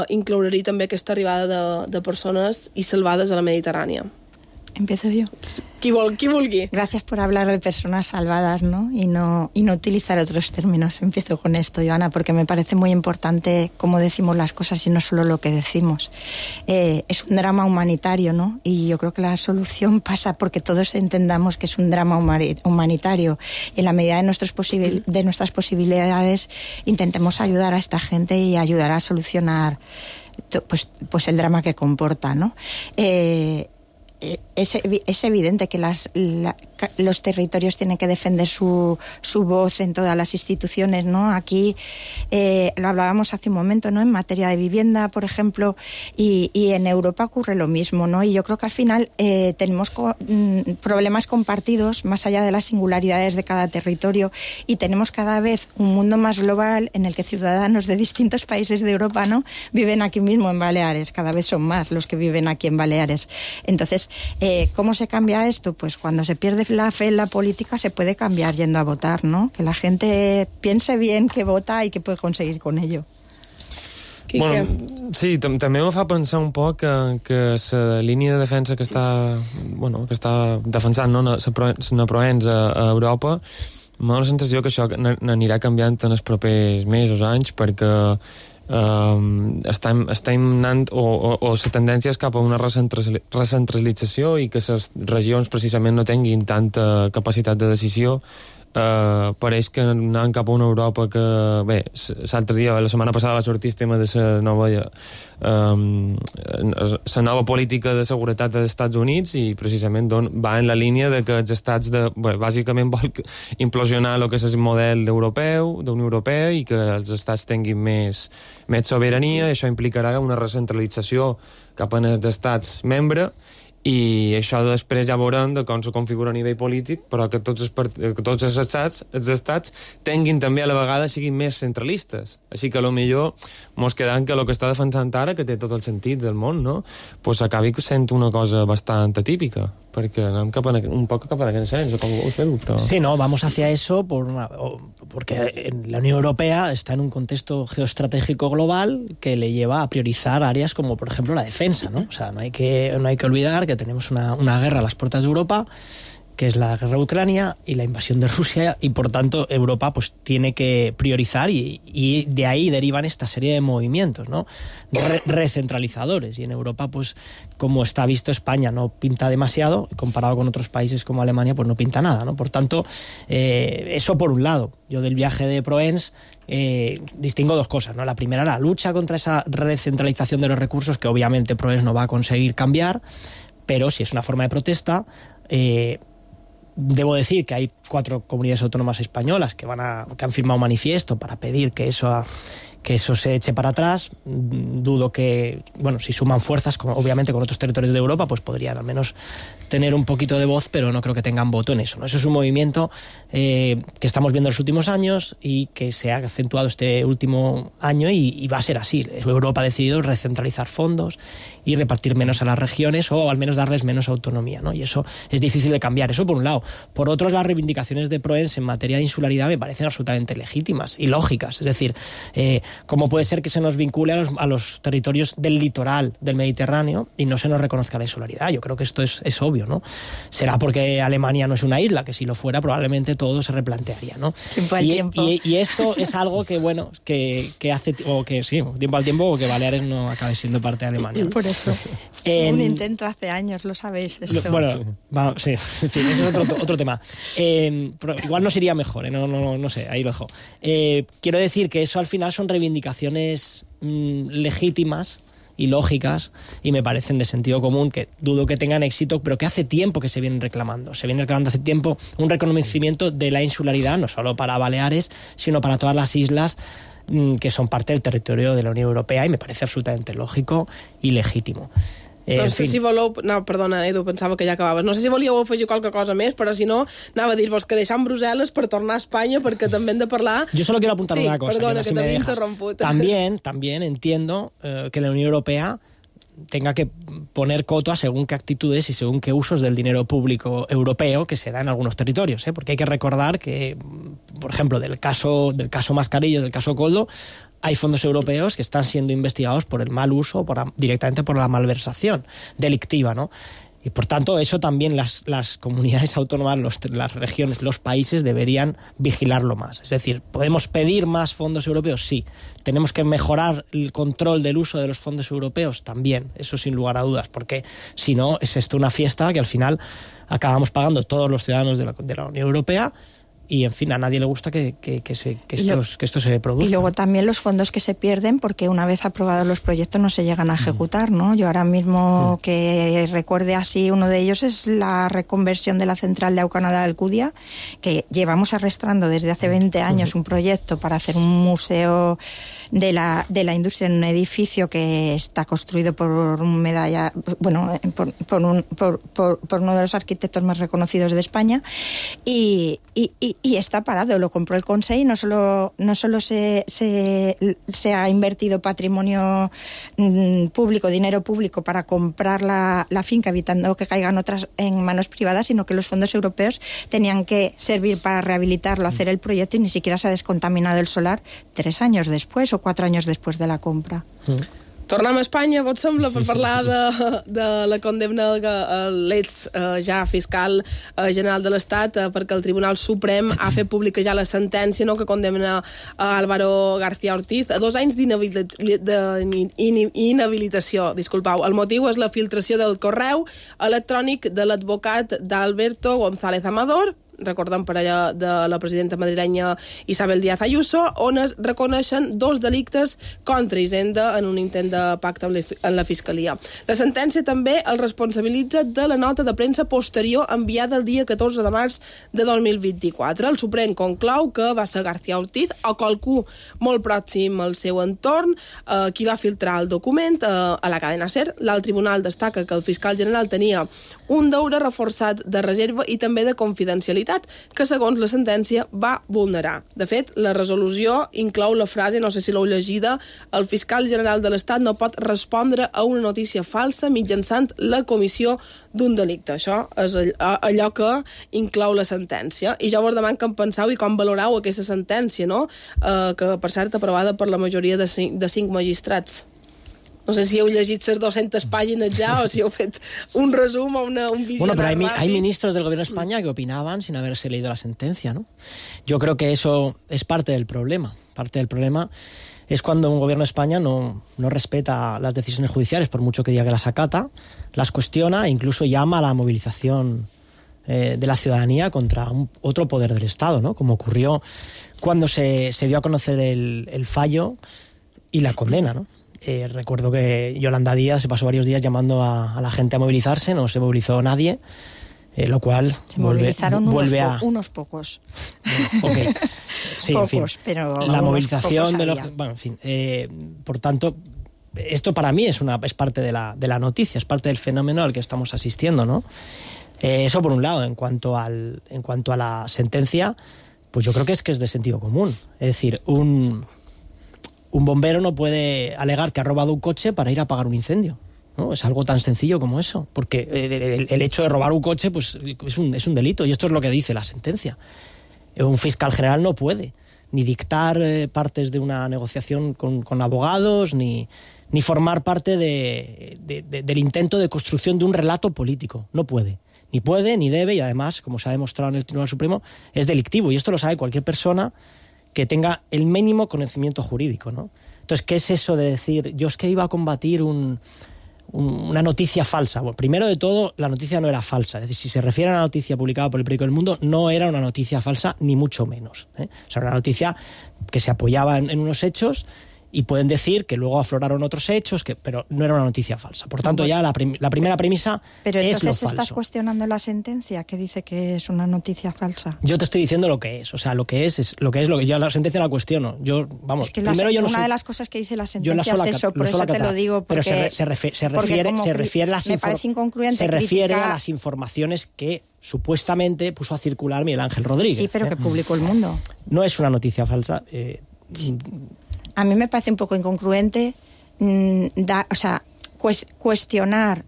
incloure-hi també aquesta arribada de persones i salvades a la Mediterrània. Empiezo yo. Qui vulgui. Gracias por hablar de personas salvadas, ¿no? Y no utilizar otros términos. Empiezo con esto, Joana, porque me parece muy importante cómo decimos las cosas y no solo lo que decimos. Es un drama humanitario, ¿no? Y yo creo que la solución pasa porque todos entendamos que es un drama humanitario. Y en la medida de nuestras posibilidades intentemos ayudar a esta gente y ayudar a solucionar pues el drama que comporta, ¿no? Es evidente que los territorios tienen que defender su voz en todas las instituciones, ¿no? Aquí lo hablábamos hace un momento, ¿no? En materia de vivienda, por ejemplo, y en Europa ocurre lo mismo, ¿no? Y yo creo que al final tenemos problemas compartidos más allá de las singularidades de cada territorio, y tenemos cada vez un mundo más global en el que ciudadanos de distintos países de Europa, ¿no? Viven aquí mismo en Baleares. Cada vez son más los que viven aquí en Baleares. Entonces, ¿cómo se cambia esto? Pues cuando se pierde la fe en la política se puede cambiar yendo a votar, ¿no? Que la gente piense bien que vota i què puede conseguir con ello. Bueno, sí, també me fa pensar un poc que la línia de defensa que està defensant, no, la Proens a Europa, m'ha la sensació que això n'anirà canviant en els propers mesos, anys, perquè estem anant o la tendència és cap a una recentralització i que les regions precisament no tinguin tanta capacitat de decisió. Pareix que anant cap a una Europa que, bé, l'altre dia, la setmana passada va sortir el tema de la nova política de seguretat dels Estats Units, i precisament va en la línia de que els estats bàsicament vol implosionar el que és el model europeu, d'Unió Europea, i que els estats tinguin més sobirania. Això implicarà una recentralització cap als estats membres, i això després ja veurem de com se configura a nivell polític, però que tots els estats tinguin també a la vegada siguin més centralistes. Així que potser mos quedem que el que està defensant ara, que té tot el sentit del món, no? Pues acabi sent una cosa bastant atípica, Perquè anem un poc cap a aquest sens, o com ho veu, però... Sí, no, vamos hacia eso porque la Unión Europea está en un contexto geoestratégico global que le lleva a priorizar áreas como, por ejemplo, la defensa, ¿no? O sea, no hay que olvidar que tenemos una guerra a las puertas de Europa, que es la guerra de Ucrania y la invasión de Rusia, y por tanto Europa pues tiene que priorizar y de ahí derivan esta serie de movimientos, ¿no? Recentralizadores, y en Europa pues como está visto España no pinta demasiado, comparado con otros países como Alemania pues no pinta nada, ¿no? Por tanto, eso por un lado. Yo del viaje de Proens distingo dos cosas, ¿no? La primera, la lucha contra esa recentralización de los recursos, que obviamente Proens no va a conseguir cambiar, pero si es una forma de protesta. Debo decir que hay 4 comunidades autónomas españolas que han firmado un manifiesto para pedir que eso se eche para atrás. Dudo que, bueno, si suman fuerzas, obviamente con otros territorios de Europa, pues podrían al menos tener un poquito de voz, pero no creo que tengan voto en eso, ¿no? Eso es un movimiento que estamos viendo en los últimos años y que se ha acentuado este último año y va a ser así. Europa ha decidido recentralizar fondos y repartir menos a las regiones, o al menos darles menos autonomía, ¿no? Y eso es difícil de cambiar, eso por un lado. Por otro, las reivindicaciones de Proens en materia de insularidad me parecen absolutamente legítimas y lógicas. Es decir, ¿cómo puede ser que se nos vincule a los territorios del litoral del Mediterráneo y no se nos reconozca la insularidad? Yo creo que esto es obvio, ¿no? Será porque Alemania no es una isla, que si lo fuera probablemente todo se replantearía, ¿no? Tiempo al tiempo. Y esto es algo que, bueno, que hace, o que sí, tiempo al tiempo, o que Baleares no acabe siendo parte de Alemania. Por eso. Un intento hace años, lo sabéis esto. Bueno, sí, en fin, ese es otro tema. Pero igual nos iría mejor, no sé, ahí lo dejo. Quiero decir que eso al final son reivindicaciones legítimas y lógicas, y me parecen de sentido común, que dudo que tengan éxito, pero que hace tiempo que se vienen reclamando. Se viene reclamando hace tiempo un reconocimiento de la insularidad, no solo para Baleares, sino para todas las islas que son parte del territorio de la Unión Europea, y me parece absolutamente lógico y legítimo. No sé si voleu... No, perdona, Edu, pensava que ja acabaves. No sé si volíeu afegir qualque cosa més, però si no, anava a dir-vos que deixam Brussel·les per tornar a Espanya, perquè també hem de parlar... Yo solo quiero apuntar una cosa. Perdona, que t'havia interromput. También entiendo que la Unión Europea tenga que poner coto a según qué actitudes y según qué usos del dinero público europeo que se da en algunos territorios, porque hay que recordar que, por ejemplo, del caso Mascarillo, del caso Koldo, hay fondos europeos que están siendo investigados por el mal uso, directamente por la malversación delictiva, ¿no? Y por tanto, eso también las comunidades autónomas, las regiones, los países deberían vigilarlo más. Es decir, ¿podemos pedir más fondos europeos? Sí. ¿Tenemos que mejorar el control del uso de los fondos europeos? También, eso sin lugar a dudas, porque si no, es esto una fiesta que al final acabamos pagando todos los ciudadanos de la Unión Europea. Y, en fin, a nadie le gusta que esto se produzca. Y luego también los fondos que se pierden, porque una vez aprobados los proyectos no se llegan a ejecutar, ¿no? Yo ahora mismo que recuerde así, uno de ellos es la reconversión de la central de Aucanada de Alcudia, que llevamos arrastrando desde hace 20 años un proyecto para hacer un museo de la industria en un edificio que está construido por un medalla, bueno, por uno de los arquitectos más reconocidos de España, y está parado. Lo compró el Consell, no solo se ha invertido patrimonio público, dinero público para comprar la finca, evitando que caigan otras en manos privadas, sino que los fondos europeos tenían que servir para rehabilitarlo, hacer el proyecto, y ni siquiera se ha descontaminado el solar 3 años después o 4 años después de la compra. Tornem a Espanya, vos sembla, per parlar de la condemna a l'ex ja fiscal general de l'Estat, perquè el Tribunal Suprem ha fet pública ja la sentència, no, que condemna a Álvaro García Ortiz a 2 anys d'inhabilitació. Disculpau. El motiu és la filtració del correu electrònic de l'advocat d'Alberto González Amador, recordem per allà de la presidenta madrilenya Isabel Díaz Ayuso, on es reconeixen 2 delictes contra Hisenda en un intent de pacte amb la Fiscalia. La sentència també el responsabilitza de la nota de premsa posterior enviada el dia 14 de març de 2024. El Suprem conclou que va ser García Ortiz o qualcú molt pròxim al seu entorn qui va filtrar el document a la cadena SER. L'alt tribunal destaca que el fiscal general tenia un deure reforçat de reserva i també de confidencialitat Generalitat, que segons la sentència va vulnerar. De fet, la resolució inclou la frase, no sé si l'heu llegida, el fiscal general de l'Estat no pot respondre a una notícia falsa mitjançant la comissió d'un delicte. Això és allò que inclou la sentència. I ja vos demano que en penseu i com valoreu aquesta sentència, no? Que, per cert, aprovada per la majoria de 5 magistrats. No sé si heu llegit les 200 pàgines ya o si heu fet un resum o un visionari. Bueno, pero hay ministros del gobierno de España que opinaban sin haberse leído la sentencia, ¿no? Yo creo que eso es parte del problema. Parte del problema es cuando un gobierno de España no respeta las decisiones judiciales, por mucho que diga que las acata, las cuestiona e incluso llama a la movilización de la ciudadanía contra otro poder del Estado, ¿no? Como ocurrió cuando se dio a conocer el fallo y la condena, ¿no? Recuerdo que Yolanda Díaz se pasó varios días llamando a la gente a movilizarse, no se movilizó nadie, lo cual se movilizaron unos pocos. Okay. Sí, pocos, en fin, pero la movilización de los... Bueno, en fin, por tanto, esto para mí es parte de la noticia, es parte del fenómeno al que estamos asistiendo, ¿no? Eso por un lado. En cuanto a la sentencia, pues yo creo que es de sentido común. Es decir, un bombero no puede alegar que ha robado un coche para ir a apagar un incendio, ¿no? Es algo tan sencillo como eso, porque el hecho de robar un coche pues es un delito, y esto es lo que dice la sentencia. Un fiscal general no puede ni dictar partes de una negociación con abogados, ni formar parte del intento de construcción de un relato político. No puede. Ni puede, ni debe, y además, como se ha demostrado en el Tribunal Supremo, es delictivo, y esto lo sabe cualquier persona que tenga el mínimo conocimiento jurídico, ¿no? Entonces, ¿qué es eso de decir, yo es que iba a combatir una noticia falsa? Bueno, primero de todo, la noticia no era falsa. Es decir, si se refiere a la noticia publicada por el periódico El Mundo, no era una noticia falsa, ni mucho menos, ¿eh? O sea, era una noticia que se apoyaba en unos hechos, y pueden decir que luego afloraron otros hechos, pero no era una noticia falsa. Por tanto, ya la primera premisa pero es lo falso. Pero entonces estás cuestionando la sentencia que dice que es una noticia falsa. Yo te estoy diciendo lo que es. O sea, lo que yo la sentencia la cuestiono. Yo, vamos, es que primero yo no una soy, de las cosas que dice la sentencia es eso, por eso te lo digo. Porque, pero se refiere a las informaciones que supuestamente puso a circular Miguel Ángel Rodríguez. Sí, pero que publicó El Mundo. No es una noticia falsa. A mí me parece un poco incongruente cuestionar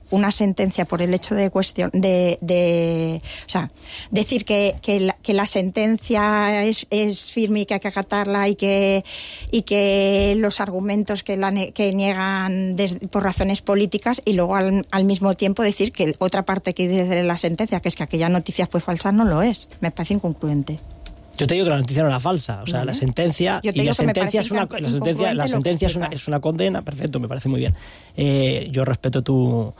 una sentencia por el hecho de decir que la sentencia es firme y que hay que acatarla, y que los argumentos que niegan por razones políticas, y luego al mismo tiempo decir que otra parte que dice de la sentencia, que es que aquella noticia fue falsa, no lo es. Me parece incongruente. Yo te digo que la noticia no era falsa, o sea, la sentencia es una condena, perfecto, me parece muy bien. Yo respeto tu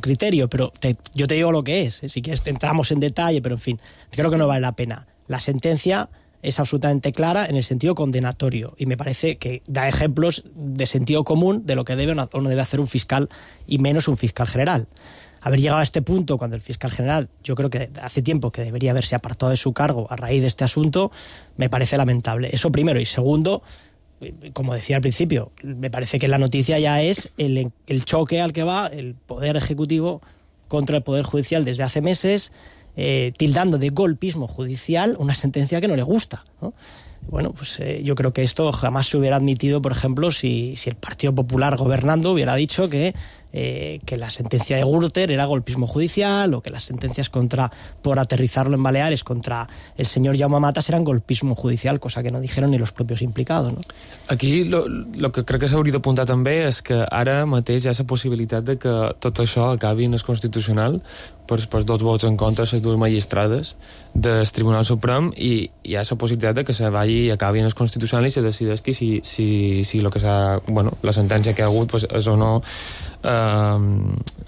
criterio, pero yo te digo lo que es, si quieres entramos en detalle, pero en fin, creo que no vale la pena. La sentencia es absolutamente clara en el sentido condenatorio, y me parece que da ejemplos de sentido común de lo que debe o no debe hacer un fiscal, y menos un fiscal general. Haber llegado a este punto cuando el fiscal general, yo creo que hace tiempo que debería haberse apartado de su cargo a raíz de este asunto, me parece lamentable. Eso primero. Y segundo, como decía al principio, me parece que la noticia ya es el choque al que va el Poder Ejecutivo contra el Poder Judicial desde hace meses, tildando de golpismo judicial una sentencia que no le gusta, ¿no? Bueno, pues yo creo que esto jamás se hubiera admitido, por ejemplo, si el Partido Popular gobernando hubiera dicho que la sentencia de Gürtel era golpismo judicial, o que las sentencias por aterrizarlo en Baleares contra el señor Jaume Matas eran golpismo judicial, cosa que no dijeron ni los propios implicados, ¿no? Aquí lo que crec que s'hauria d'apuntar també és que ara mateix hi ha la possibilitat de que tot això acabi en el Constitucional per 2 vots en contra de les 2 magistrades del Tribunal Suprem, i hi ha la possibilitat de que se vagi i acabi en el Constitucional i se decideixi si lo que s'ha, bueno, la sentència que ha hagut pues, és o no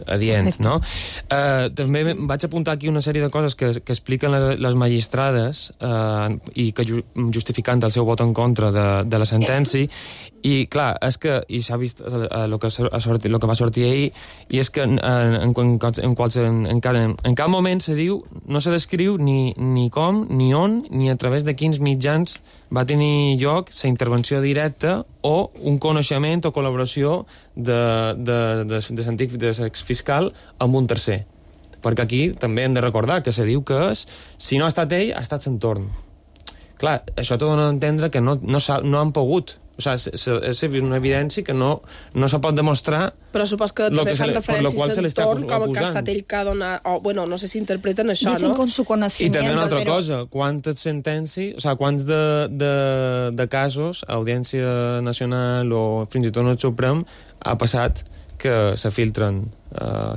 adient, no? També vaig apuntar aquí una sèrie de coses que expliquen les magistrades i que justificant el seu vot en contra de la sentència, i clar, és que s'ha vist el que va sortir ahir, i és que en cap moment se diu, no se descriu ni com, ni on, ni a través de quins mitjans va tenir lloc la intervenció directa o un coneixement o col·laboració de l'exfiscal amb un tercer. perquè aquí també hem de recordar que se diu que si no ha estat ell, ha estat l'entorn. Clar, això t'ho dona a entendre que no han pogut. O sigui, és una evidència que no se pot demostrar. Però supos que també fan referència a l'entorn com que ha estat ell que ha donat... Bueno, no sé si interpreten això, Dicen con su conocimiento. I també una altra cosa, quantes sentències, o sigui, quants de casos, Audiència Nacional o fins i tot el Suprem, ha passat que se filtren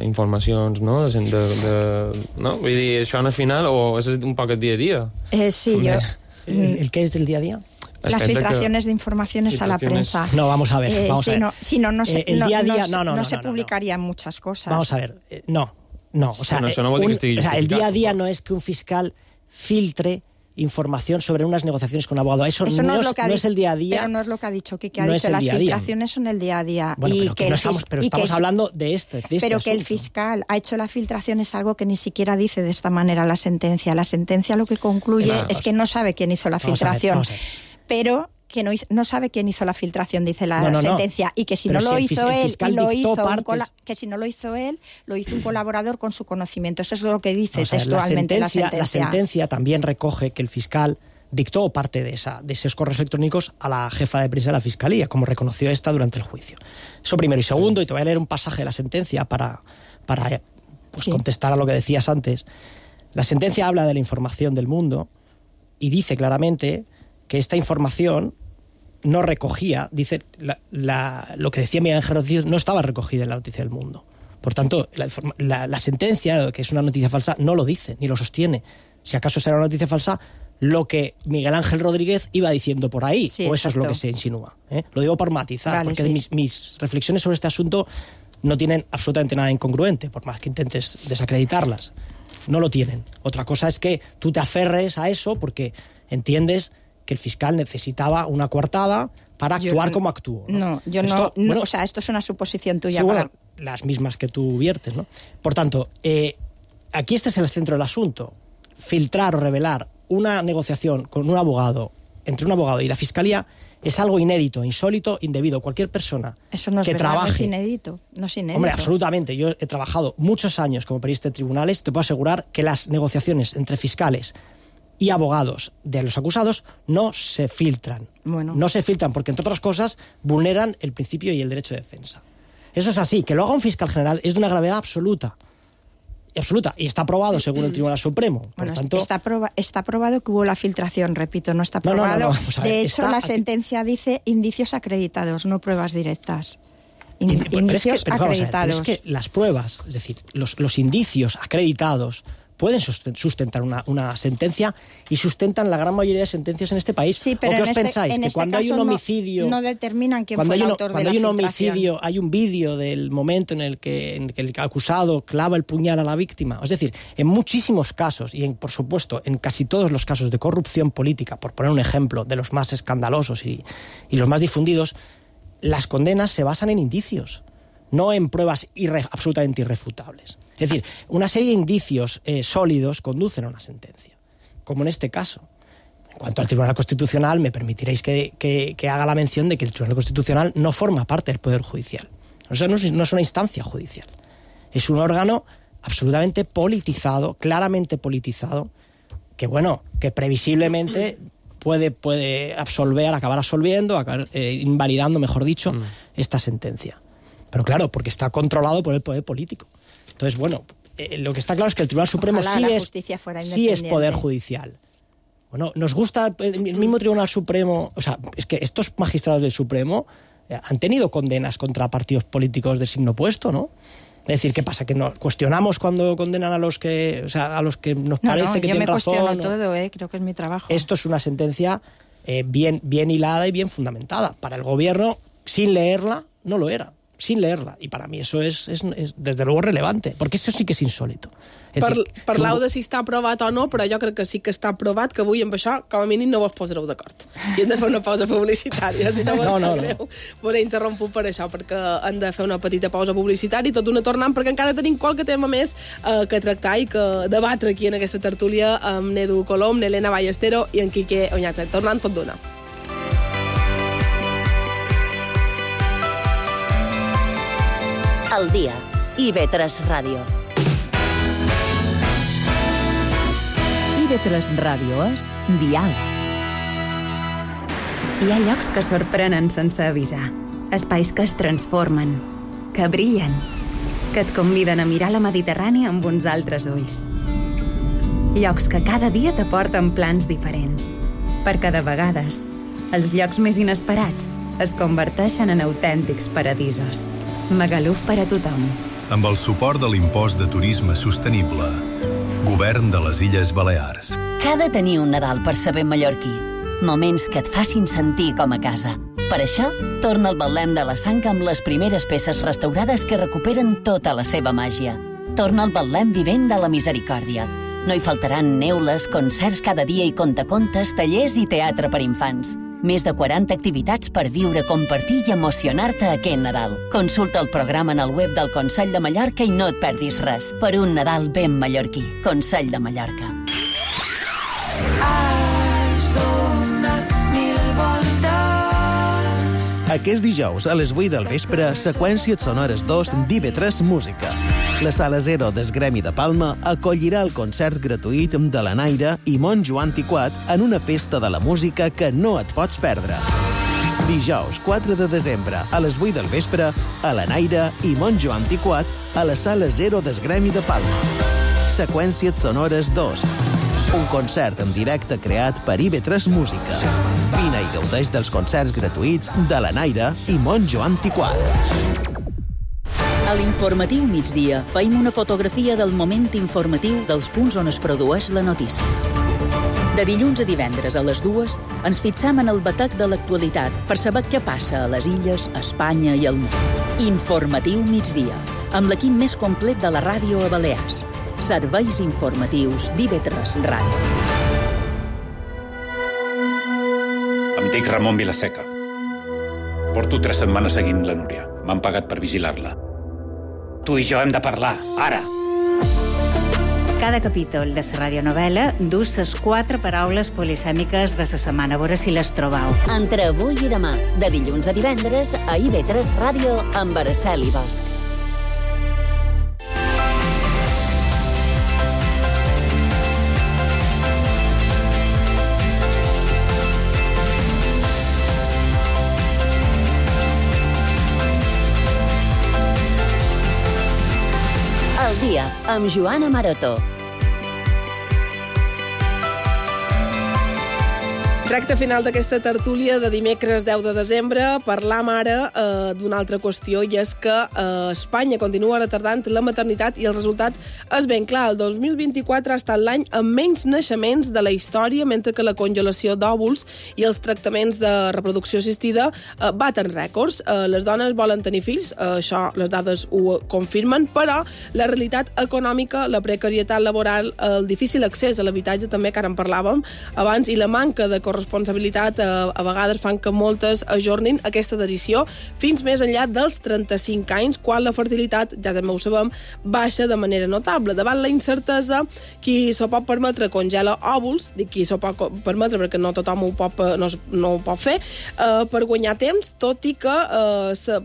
informacions, no? No? Vull dir, això al final, o és un poc el dia a dia? Sí, yo... ¿El qué es del día a día? Las filtraciones de informaciones a la prensa. No, vamos a ver. No se no. publicarían muchas cosas. Vamos a ver. No. O sea, el día a día no es que un fiscal filtre información sobre unas negociaciones con un abogado. Eso no es el día a día. Pero no es lo que ha dicho Quique. Ha dicho las filtraciones son el día a día. Bueno, pero estamos hablando de este Pero que asunto. El fiscal ha hecho la filtración es algo que ni siquiera dice de esta manera la sentencia. La sentencia lo que concluye es que no sabe quién hizo la filtración. Vamos a ver. Pero que no sabe quién hizo la filtración, dice la sentencia, y que si no lo hizo él, que si no lo hizo él, lo hizo un colaborador con su conocimiento. Eso es lo que dice textualmente la sentencia. La sentencia también recoge que el fiscal dictó parte de esos correos electrónicos a la jefa de prensa de la Fiscalía, como reconoció esta durante el juicio. Eso primero. Y segundo, y te voy a leer un pasaje de la sentencia para contestar a lo que decías antes. La sentencia habla de la información del mundo y dice claramente que esta información no recogía, dice, lo que decía Miguel Ángel Rodríguez no estaba recogida en la noticia del Mundo. Por tanto, la sentencia, que es una noticia falsa, no lo dice, ni lo sostiene. Si acaso será una noticia falsa, lo que Miguel Ángel Rodríguez iba diciendo por ahí, o eso es lo que se insinúa. Lo digo por matizar, porque mis reflexiones sobre este asunto no tienen absolutamente nada incongruente, por más que intentes desacreditarlas. No lo tienen. Otra cosa es que tú te aferres a eso porque entiendes que el fiscal necesitaba una coartada para actuar como actuó. O sea, esto es una suposición tuya. Sí, las mismas que tú viertes, ¿no? Por tanto, aquí este es el centro del asunto. Filtrar o revelar una negociación con un abogado, entre un abogado y la Fiscalía, es algo inédito, insólito, indebido. Cualquier persona Eso no es que verdad, trabaje... no es inédito. Hombre, absolutamente. Yo he trabajado muchos años como periodista de tribunales. Te puedo asegurar que las negociaciones entre fiscales y abogados de los acusados no se filtran. No se filtran porque, entre otras cosas, vulneran el principio y el derecho de defensa. Eso es así. Que lo haga un fiscal general es de una gravedad absoluta. Y está aprobado según el Tribunal Supremo. Por tanto, está aprobado que hubo la filtración, repito, no está aprobado. De hecho, la sentencia dice indicios acreditados, no pruebas directas. Indicios acreditados. Es que las pruebas, es decir, los indicios acreditados pueden sustentar una sentencia y sustentan la gran mayoría de sentencias en este país. Sí, pero ¿o qué os pensáis? Que cuando hay un homicidio... No determinan quién fue el autor de la filtración. Cuando hay un homicidio, hay un vídeo del momento en el que el acusado clava el puñal a la víctima. Es decir, en muchísimos casos, y por supuesto en casi todos los casos de corrupción política, por poner un ejemplo de los más escandalosos y los más difundidos, las condenas se basan en indicios, no en pruebas absolutamente irrefutables. Es decir, una serie de indicios sólidos conducen a una sentencia, como en este caso. En cuanto al Tribunal Constitucional, me permitiréis que haga la mención de que el Tribunal Constitucional no forma parte del Poder Judicial. O sea, no es una instancia judicial. Es un órgano absolutamente politizado, claramente politizado, que previsiblemente puede acabar absolviendo, acabar invalidando, mejor dicho, esta sentencia. Pero claro, porque está controlado por el poder político. Entonces, lo que está claro es que el Tribunal Supremo sí es poder judicial. Bueno, nos gusta el mismo Tribunal Supremo, o sea, es que estos magistrados del Supremo han tenido condenas contra partidos políticos de signo opuesto, ¿no? Es decir, ¿qué pasa? Que nos cuestionamos cuando condenan a los que nos parece que tienen razón. Yo me cuestiono todo, creo que es mi trabajo. Esto es una sentencia bien hilada y bien fundamentada. Para el gobierno, sin leerla, no lo era. Sin leerla. I per a mi això és desde luego relevante, perquè això sí que és insòlito. Parlau de si està aprovat o no, però jo crec que sí que està aprovat, que avui amb això, com a mínim, no vos posareu d'acord. I hem de fer una pausa publicitària, si no vos sap greu. Vos he interromput per això, perquè hem de fer una petita pausa publicitària i tot una tornant, perquè encara tenim qualque tema més que tractar i que debatre aquí en aquesta tertúlia amb Nedu Colom, Helena Ballestero i en Quique Oñate. Tornant tot d'una. Al dia. IB3 Ràdio. IB3 Ràdio és Dial. Hi ha llocs que sorprenen sense avisar. Espais que es transformen, que brillen, que et conviden a mirar la Mediterrània amb uns altres ulls. Llocs que cada dia t'aporten plans diferents, perquè de vegades els llocs més inesperats es converteixen en autèntics paradisos. Magaluf per a tothom. Amb el suport de l'impost de turisme sostenible. Govern de les Illes Balears. Que ha de tenir un Nadal per saber mallorquí. Moments que et facin sentir com a casa. Per això, torna al Betlem de la Sang amb les primeres peces restaurades que recuperen tota la seva màgia. Torna al Betlem vivent de la misericòrdia. No hi faltaran neules, concerts cada dia i contacontes, tallers i teatre per infants. Més de 40 activitats per viure, compartir i emocionar-te aquest Nadal. Consulta el programa en el web del Consell de Mallorca i no et perdis res. Per un Nadal ben mallorquí. Consell de Mallorca. Aquest dijous, a les 8 del vespre, Seqüències Sonores 2 d'IB3 Música. La Sala 0 del Gremi de Palma acollirà el concert gratuït de la Naira i Monjo Antiquat en una festa de la música que no et pots perdre. Dijous 4 de desembre, a les 8 del vespre, a la Naira i Monjo Antiquat a la Sala 0 del Gremi de Palma. Seqüències Sonores 2. Un concert en directe creat per IB3 Música. Vine i gaudeix dels concerts gratuïts de la Naira i Monjo Antiquat. A l'informatiu migdia feim una fotografia del moment informatiu dels punts on es produeix la notícia. De dilluns a divendres a les 2 ens fixam en el batec de l'actualitat per saber què passa a les illes, a Espanya i al món. Informatiu migdia, amb l'equip més complet de la ràdio a Balears. Serveis informatius d'IB3 Ràdio. Em dic Ramon Vilaseca. Porto 3 setmanes seguint la Núria. M'han pagat per vigilar-la. Tu i jo hem de parlar, ara! Cada capítol de la radionovel·la dus les 4 paraules polisèmiques de la setmana. A veure si les trobau. Entre avui i demà, de dilluns a divendres, a IB3 Ràdio amb Araceli Bosch. El dia, amb Joana Maroto. Recte final d'aquesta tertúlia de dimecres 10 de desembre. Parlam ara d'una altra qüestió, i és que Espanya continua retardant la maternitat i el resultat és ben clar. El 2024 ha estat l'any amb menys naixements de la història, mentre que la congelació d'òvuls i els tractaments de reproducció assistida baten rècords. Les dones volen tenir fills, això les dades ho confirmen, però la realitat econòmica, la precarietat laboral, el difícil accés a l'habitatge, també, que ara en parlàvem abans, i la manca de corresponsabilitat a vegades fan que moltes ajornin aquesta decisió fins més enllà dels 35 anys, quan la fertilitat, ja també ho sabem, baixa de manera notable. Davant la incertesa, qui s'ho pot permetre congela òvuls, dic qui s'ho pot permetre perquè no tothom no ho pot fer, per guanyar temps, tot i que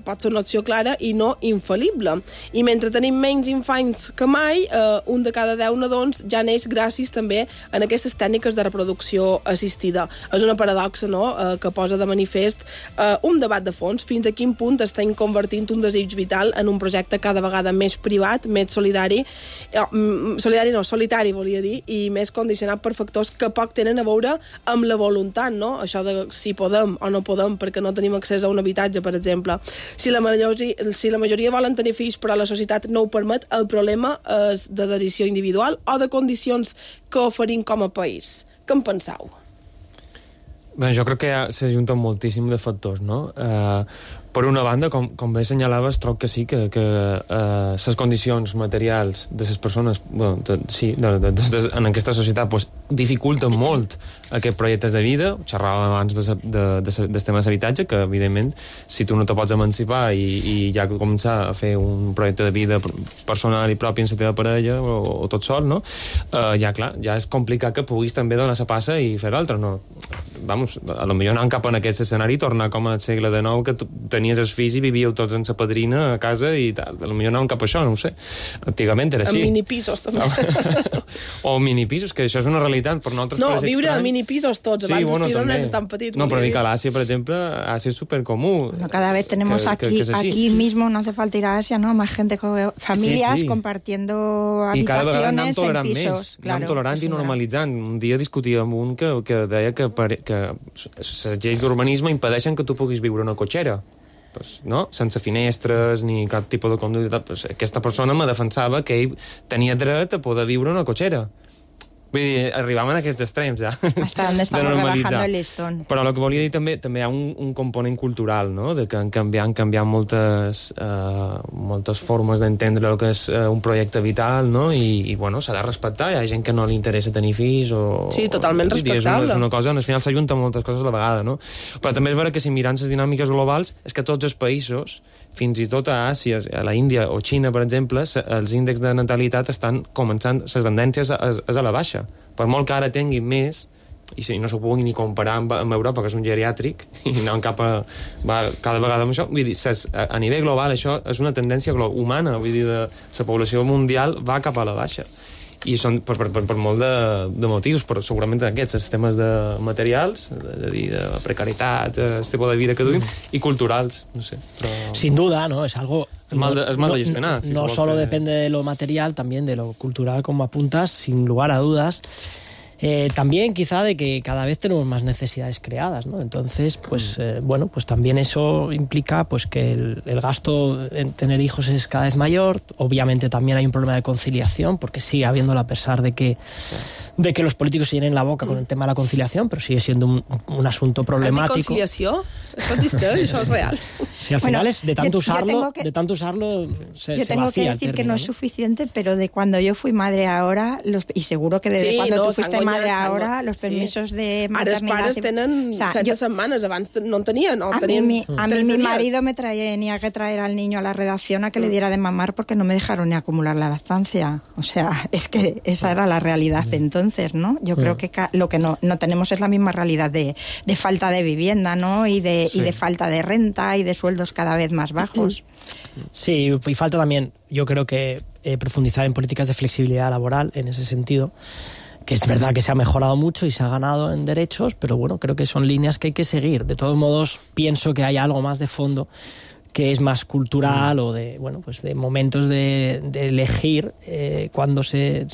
pot ser una opció clara i no infal·lible. I mentre tenim menys infants que mai, un de cada 10 nadons ja neix gràcies també en aquestes tècniques de reproducció assistida. És una paradoxa, no?, que posa de manifest un debat de fons. Fins a quin punt estem convertint un desig vital en un projecte cada vegada més privat, més solitari, volia dir, i més condicionat per factors que poc tenen a veure amb la voluntat, no? Això de si podem o no podem perquè no tenim accés a un habitatge, per exemple. Si la majoria volen tenir fills però la societat no ho permet, el problema és de decisió individual o de condicions que oferim com a país. Què en penseu? Bé, jo crec que s'ajunten moltíssim de factors, no? Per una banda, com bé assenyalaves, trobo que sí, que les condicions materials de les persones, en aquesta societat, pues, dificulten molt aquests projectes de vida. Xerràvem abans del tema d'habitatge, que, evidentment, si tu no te pots emancipar i ja començar a fer un projecte de vida personal i propi en la teva parella o tot sol, no? Ja és complicat que puguis també donar la passa i fer l'altra, no? Vamos, a lo millor anant cap en aquest escenari, tornar com al segle XIX, que tenies els fills i vivíeu tots en sa padrina a casa i tal. Potser anàvem cap a això, no ho sé. Antigament era així. En minipisos, també. O minipisos, que això és una realitat per nosaltres. No, viure a minipisos tots. Sí, abans bueno, els pisos també. no eren tan petits. No, però dic a l'Àsia, per exemple, Àsia és supercomú. Bueno, cada vez tenemos aquí mismo, no hace falta ir a Asia, ¿no? Más gente, familias compartiendo habitaciones en pisos. I cada vegada anem tolerant més. Anem tolerant i normalitzant. Un dia discutia amb un que deia que les lleis d'urbanisme impedeixen que tu puguis viure en una cotxera. Pues, no? Sense finestres ni cap tipus de conducta. Pues, aquesta persona me defensava que ell tenia dret a poder viure en una cotxera. Vull dir, arribàvem a aquests extrems, ja. Hasta donde estamos rebajando el listón. Però el que volia dir també hi ha un component cultural, no?, de que han canviat moltes formes d'entendre el que és un projecte vital, no?, i bueno, s'ha de respectar. Hi ha gent que no li interessa tenir fills o... Sí, totalment respectable. És una cosa on al final s'ajunten moltes coses a la vegada, no? Però també és vera que si mirant les dinàmiques globals és que tots els països, fins i tot a Àsia, a la Índia o Xina, per exemple, els índexs de natalitat estan començant, les tendències és a la baixa. Per molt que ara tinguin més, i si no s'ho puguin ni comparar amb Europa, que és un geriàtric, i anant cada vegada amb això, vull dir, a nivell global això és una tendència humana, vull dir, la població mundial va cap a la baixa. I són per molt de motius, però segurament aquests, els temes de materials, de precarietat, el tipus de vida que duim, i culturals, no sé. Però... Sin duda, ¿no? Es algo... Es mal de gestionar. No solo depende de lo material, también de lo cultural, como apuntas, sin lugar a dudas. También quizá de que cada vez tenemos más necesidades creadas, ¿no? Entonces, pues bueno, pues también eso implica pues que el gasto en tener hijos es cada vez mayor. Obviamente también hay un problema de conciliación, porque sigue habiéndolo a pesar de que los políticos se llenen la boca con el tema de la conciliación, pero sigue siendo un asunto problemático. ¿Anticonciliació? Això és real. Sí, al final es de tanto usarlo se yo tengo vacía que decir que no es suficiente, pero de cuando yo fui madre ahora, y seguro que desde cuando tú fuiste madre ahora, los permisos de maternidad... Ara els pares tenen 16 setmanes, abans no en tenien. A mí mi marido me tenía que traer al niño a la redacción a que le diera de mamar porque no me dejaron ni acumular la lactancia. O sea, es que esa era la realidad de entonces, ¿no? Yo creo que lo que no tenemos es la misma realidad de falta de vivienda, ¿no? Y de falta de renta y de sueldos cada vez más bajos. Sí, y falta también, yo creo que profundizar en políticas de flexibilidad laboral en ese sentido, que es verdad que se ha mejorado mucho y se ha ganado en derechos, pero bueno, creo que son líneas que hay que seguir. De todos modos, pienso que hay algo más de fondo que es más cultural o de, bueno, pues de momentos de elegir cuando se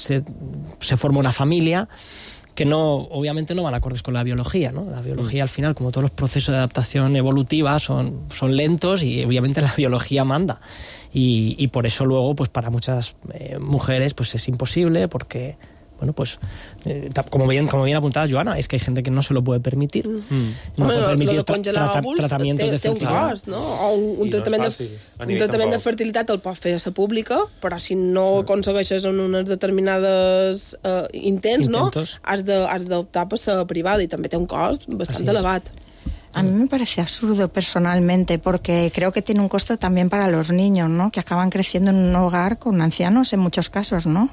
forma una familia, que no, obviamente no van acordes con la biología, ¿no? La biología al final, como todos los procesos de adaptación evolutiva, son lentos y obviamente la biología manda. Y por eso luego, pues para muchas mujeres, pues es imposible porque... Bueno, pues como bien apuntada Joana, es que hay gente que no se lo puede permitir. No puede permitir tratamientos de fertilidad. Té un cost, no? O un tractament de fertilitat el pot fer a la pública, però si no aconsegueixes en unes determinades intents, no? Has d'optar per la privada i també té un cost bastant elevat. A mí me parece absurdo personalmente, porque creo que tiene un costo también para los niños, ¿no? Que acaban creciendo en un hogar con ancianos en muchos casos, ¿no?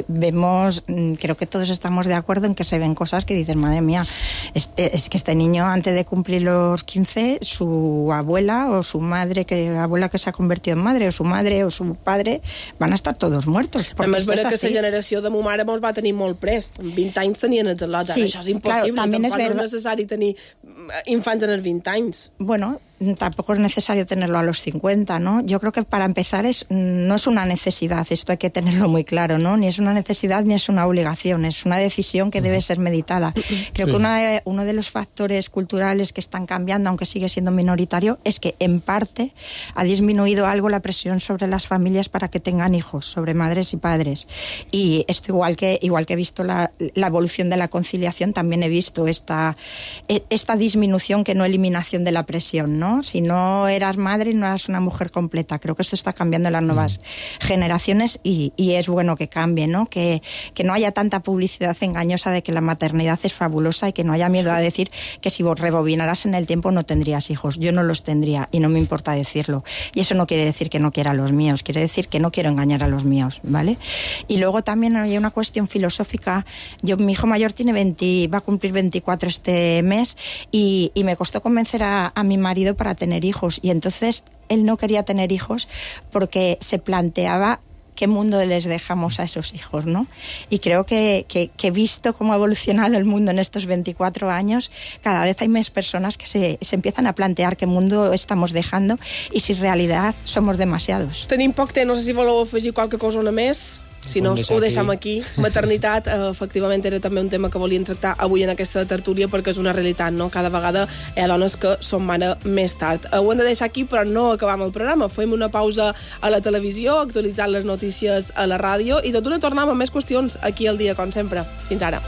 Vemos, creo que todos estamos de acuerdo en que se ven cosas que dices, madre mía, es que este niño antes de cumplir los 15, su abuela o su madre, abuela que se ha convertido en madre, o su madre o su padre, van a estar todos muertos. A més, vera que la generació de ma mare mos va tenir molt prest. En 20 anys tenien els al·lots. Això és impossible. Claro, también es verdad. No és necessari tenir infants en els 20 anys. Bueno, tampoco es necesario tenerlo a los 50, ¿no? Yo creo que para empezar no es una necesidad, esto hay que tenerlo muy claro, ¿no? Ni es una necesidad ni es una obligación, es una decisión que debe ser meditada. Creo que uno de los factores culturales que están cambiando, aunque sigue siendo minoritario, es que en parte ha disminuido algo la presión sobre las familias para que tengan hijos, sobre madres y padres. Y esto igual que he visto la evolución de la conciliación, también he visto esta disminución que no eliminación de la presión, ¿no? Si no eras madre, no eras una mujer completa. Creo que esto está cambiando en las nuevas generaciones y es bueno que cambie, ¿no? Que no haya tanta publicidad engañosa de que la maternidad es fabulosa y que no haya miedo a decir que si vos rebobinaras en el tiempo no tendrías hijos. Yo no los tendría y no me importa decirlo. Y eso no quiere decir que no quiera a los míos, quiere decir que no quiero engañar a los míos, ¿vale? Y luego también hay una cuestión filosófica. Mi hijo mayor va a cumplir 24 este mes y me costó convencer a mi marido dinero para tener hijos. Y entonces él no quería tener hijos porque se planteaba qué mundo les dejamos a esos hijos, ¿no? Y creo que visto cómo ha evolucionado el mundo en estos 24 años, cada vez hay más personas que se empiezan a plantear qué mundo estamos dejando y si en realidad somos demasiados. Tenim poc temps, no sé si voleu afegir qualque cosa una més. Si no, ho deixem aquí. Maternitat, efectivament, era també un tema que volien tractar avui en aquesta tertúlia perquè és una realitat, no? Cada vegada hi ha dones que són mare més tard. Ho hem de deixar aquí, però no acabam el programa. Fem una pausa a la televisió, actualitzant les notícies a la ràdio i tot d'una tornem amb més qüestions aquí al dia, com sempre. Fins ara.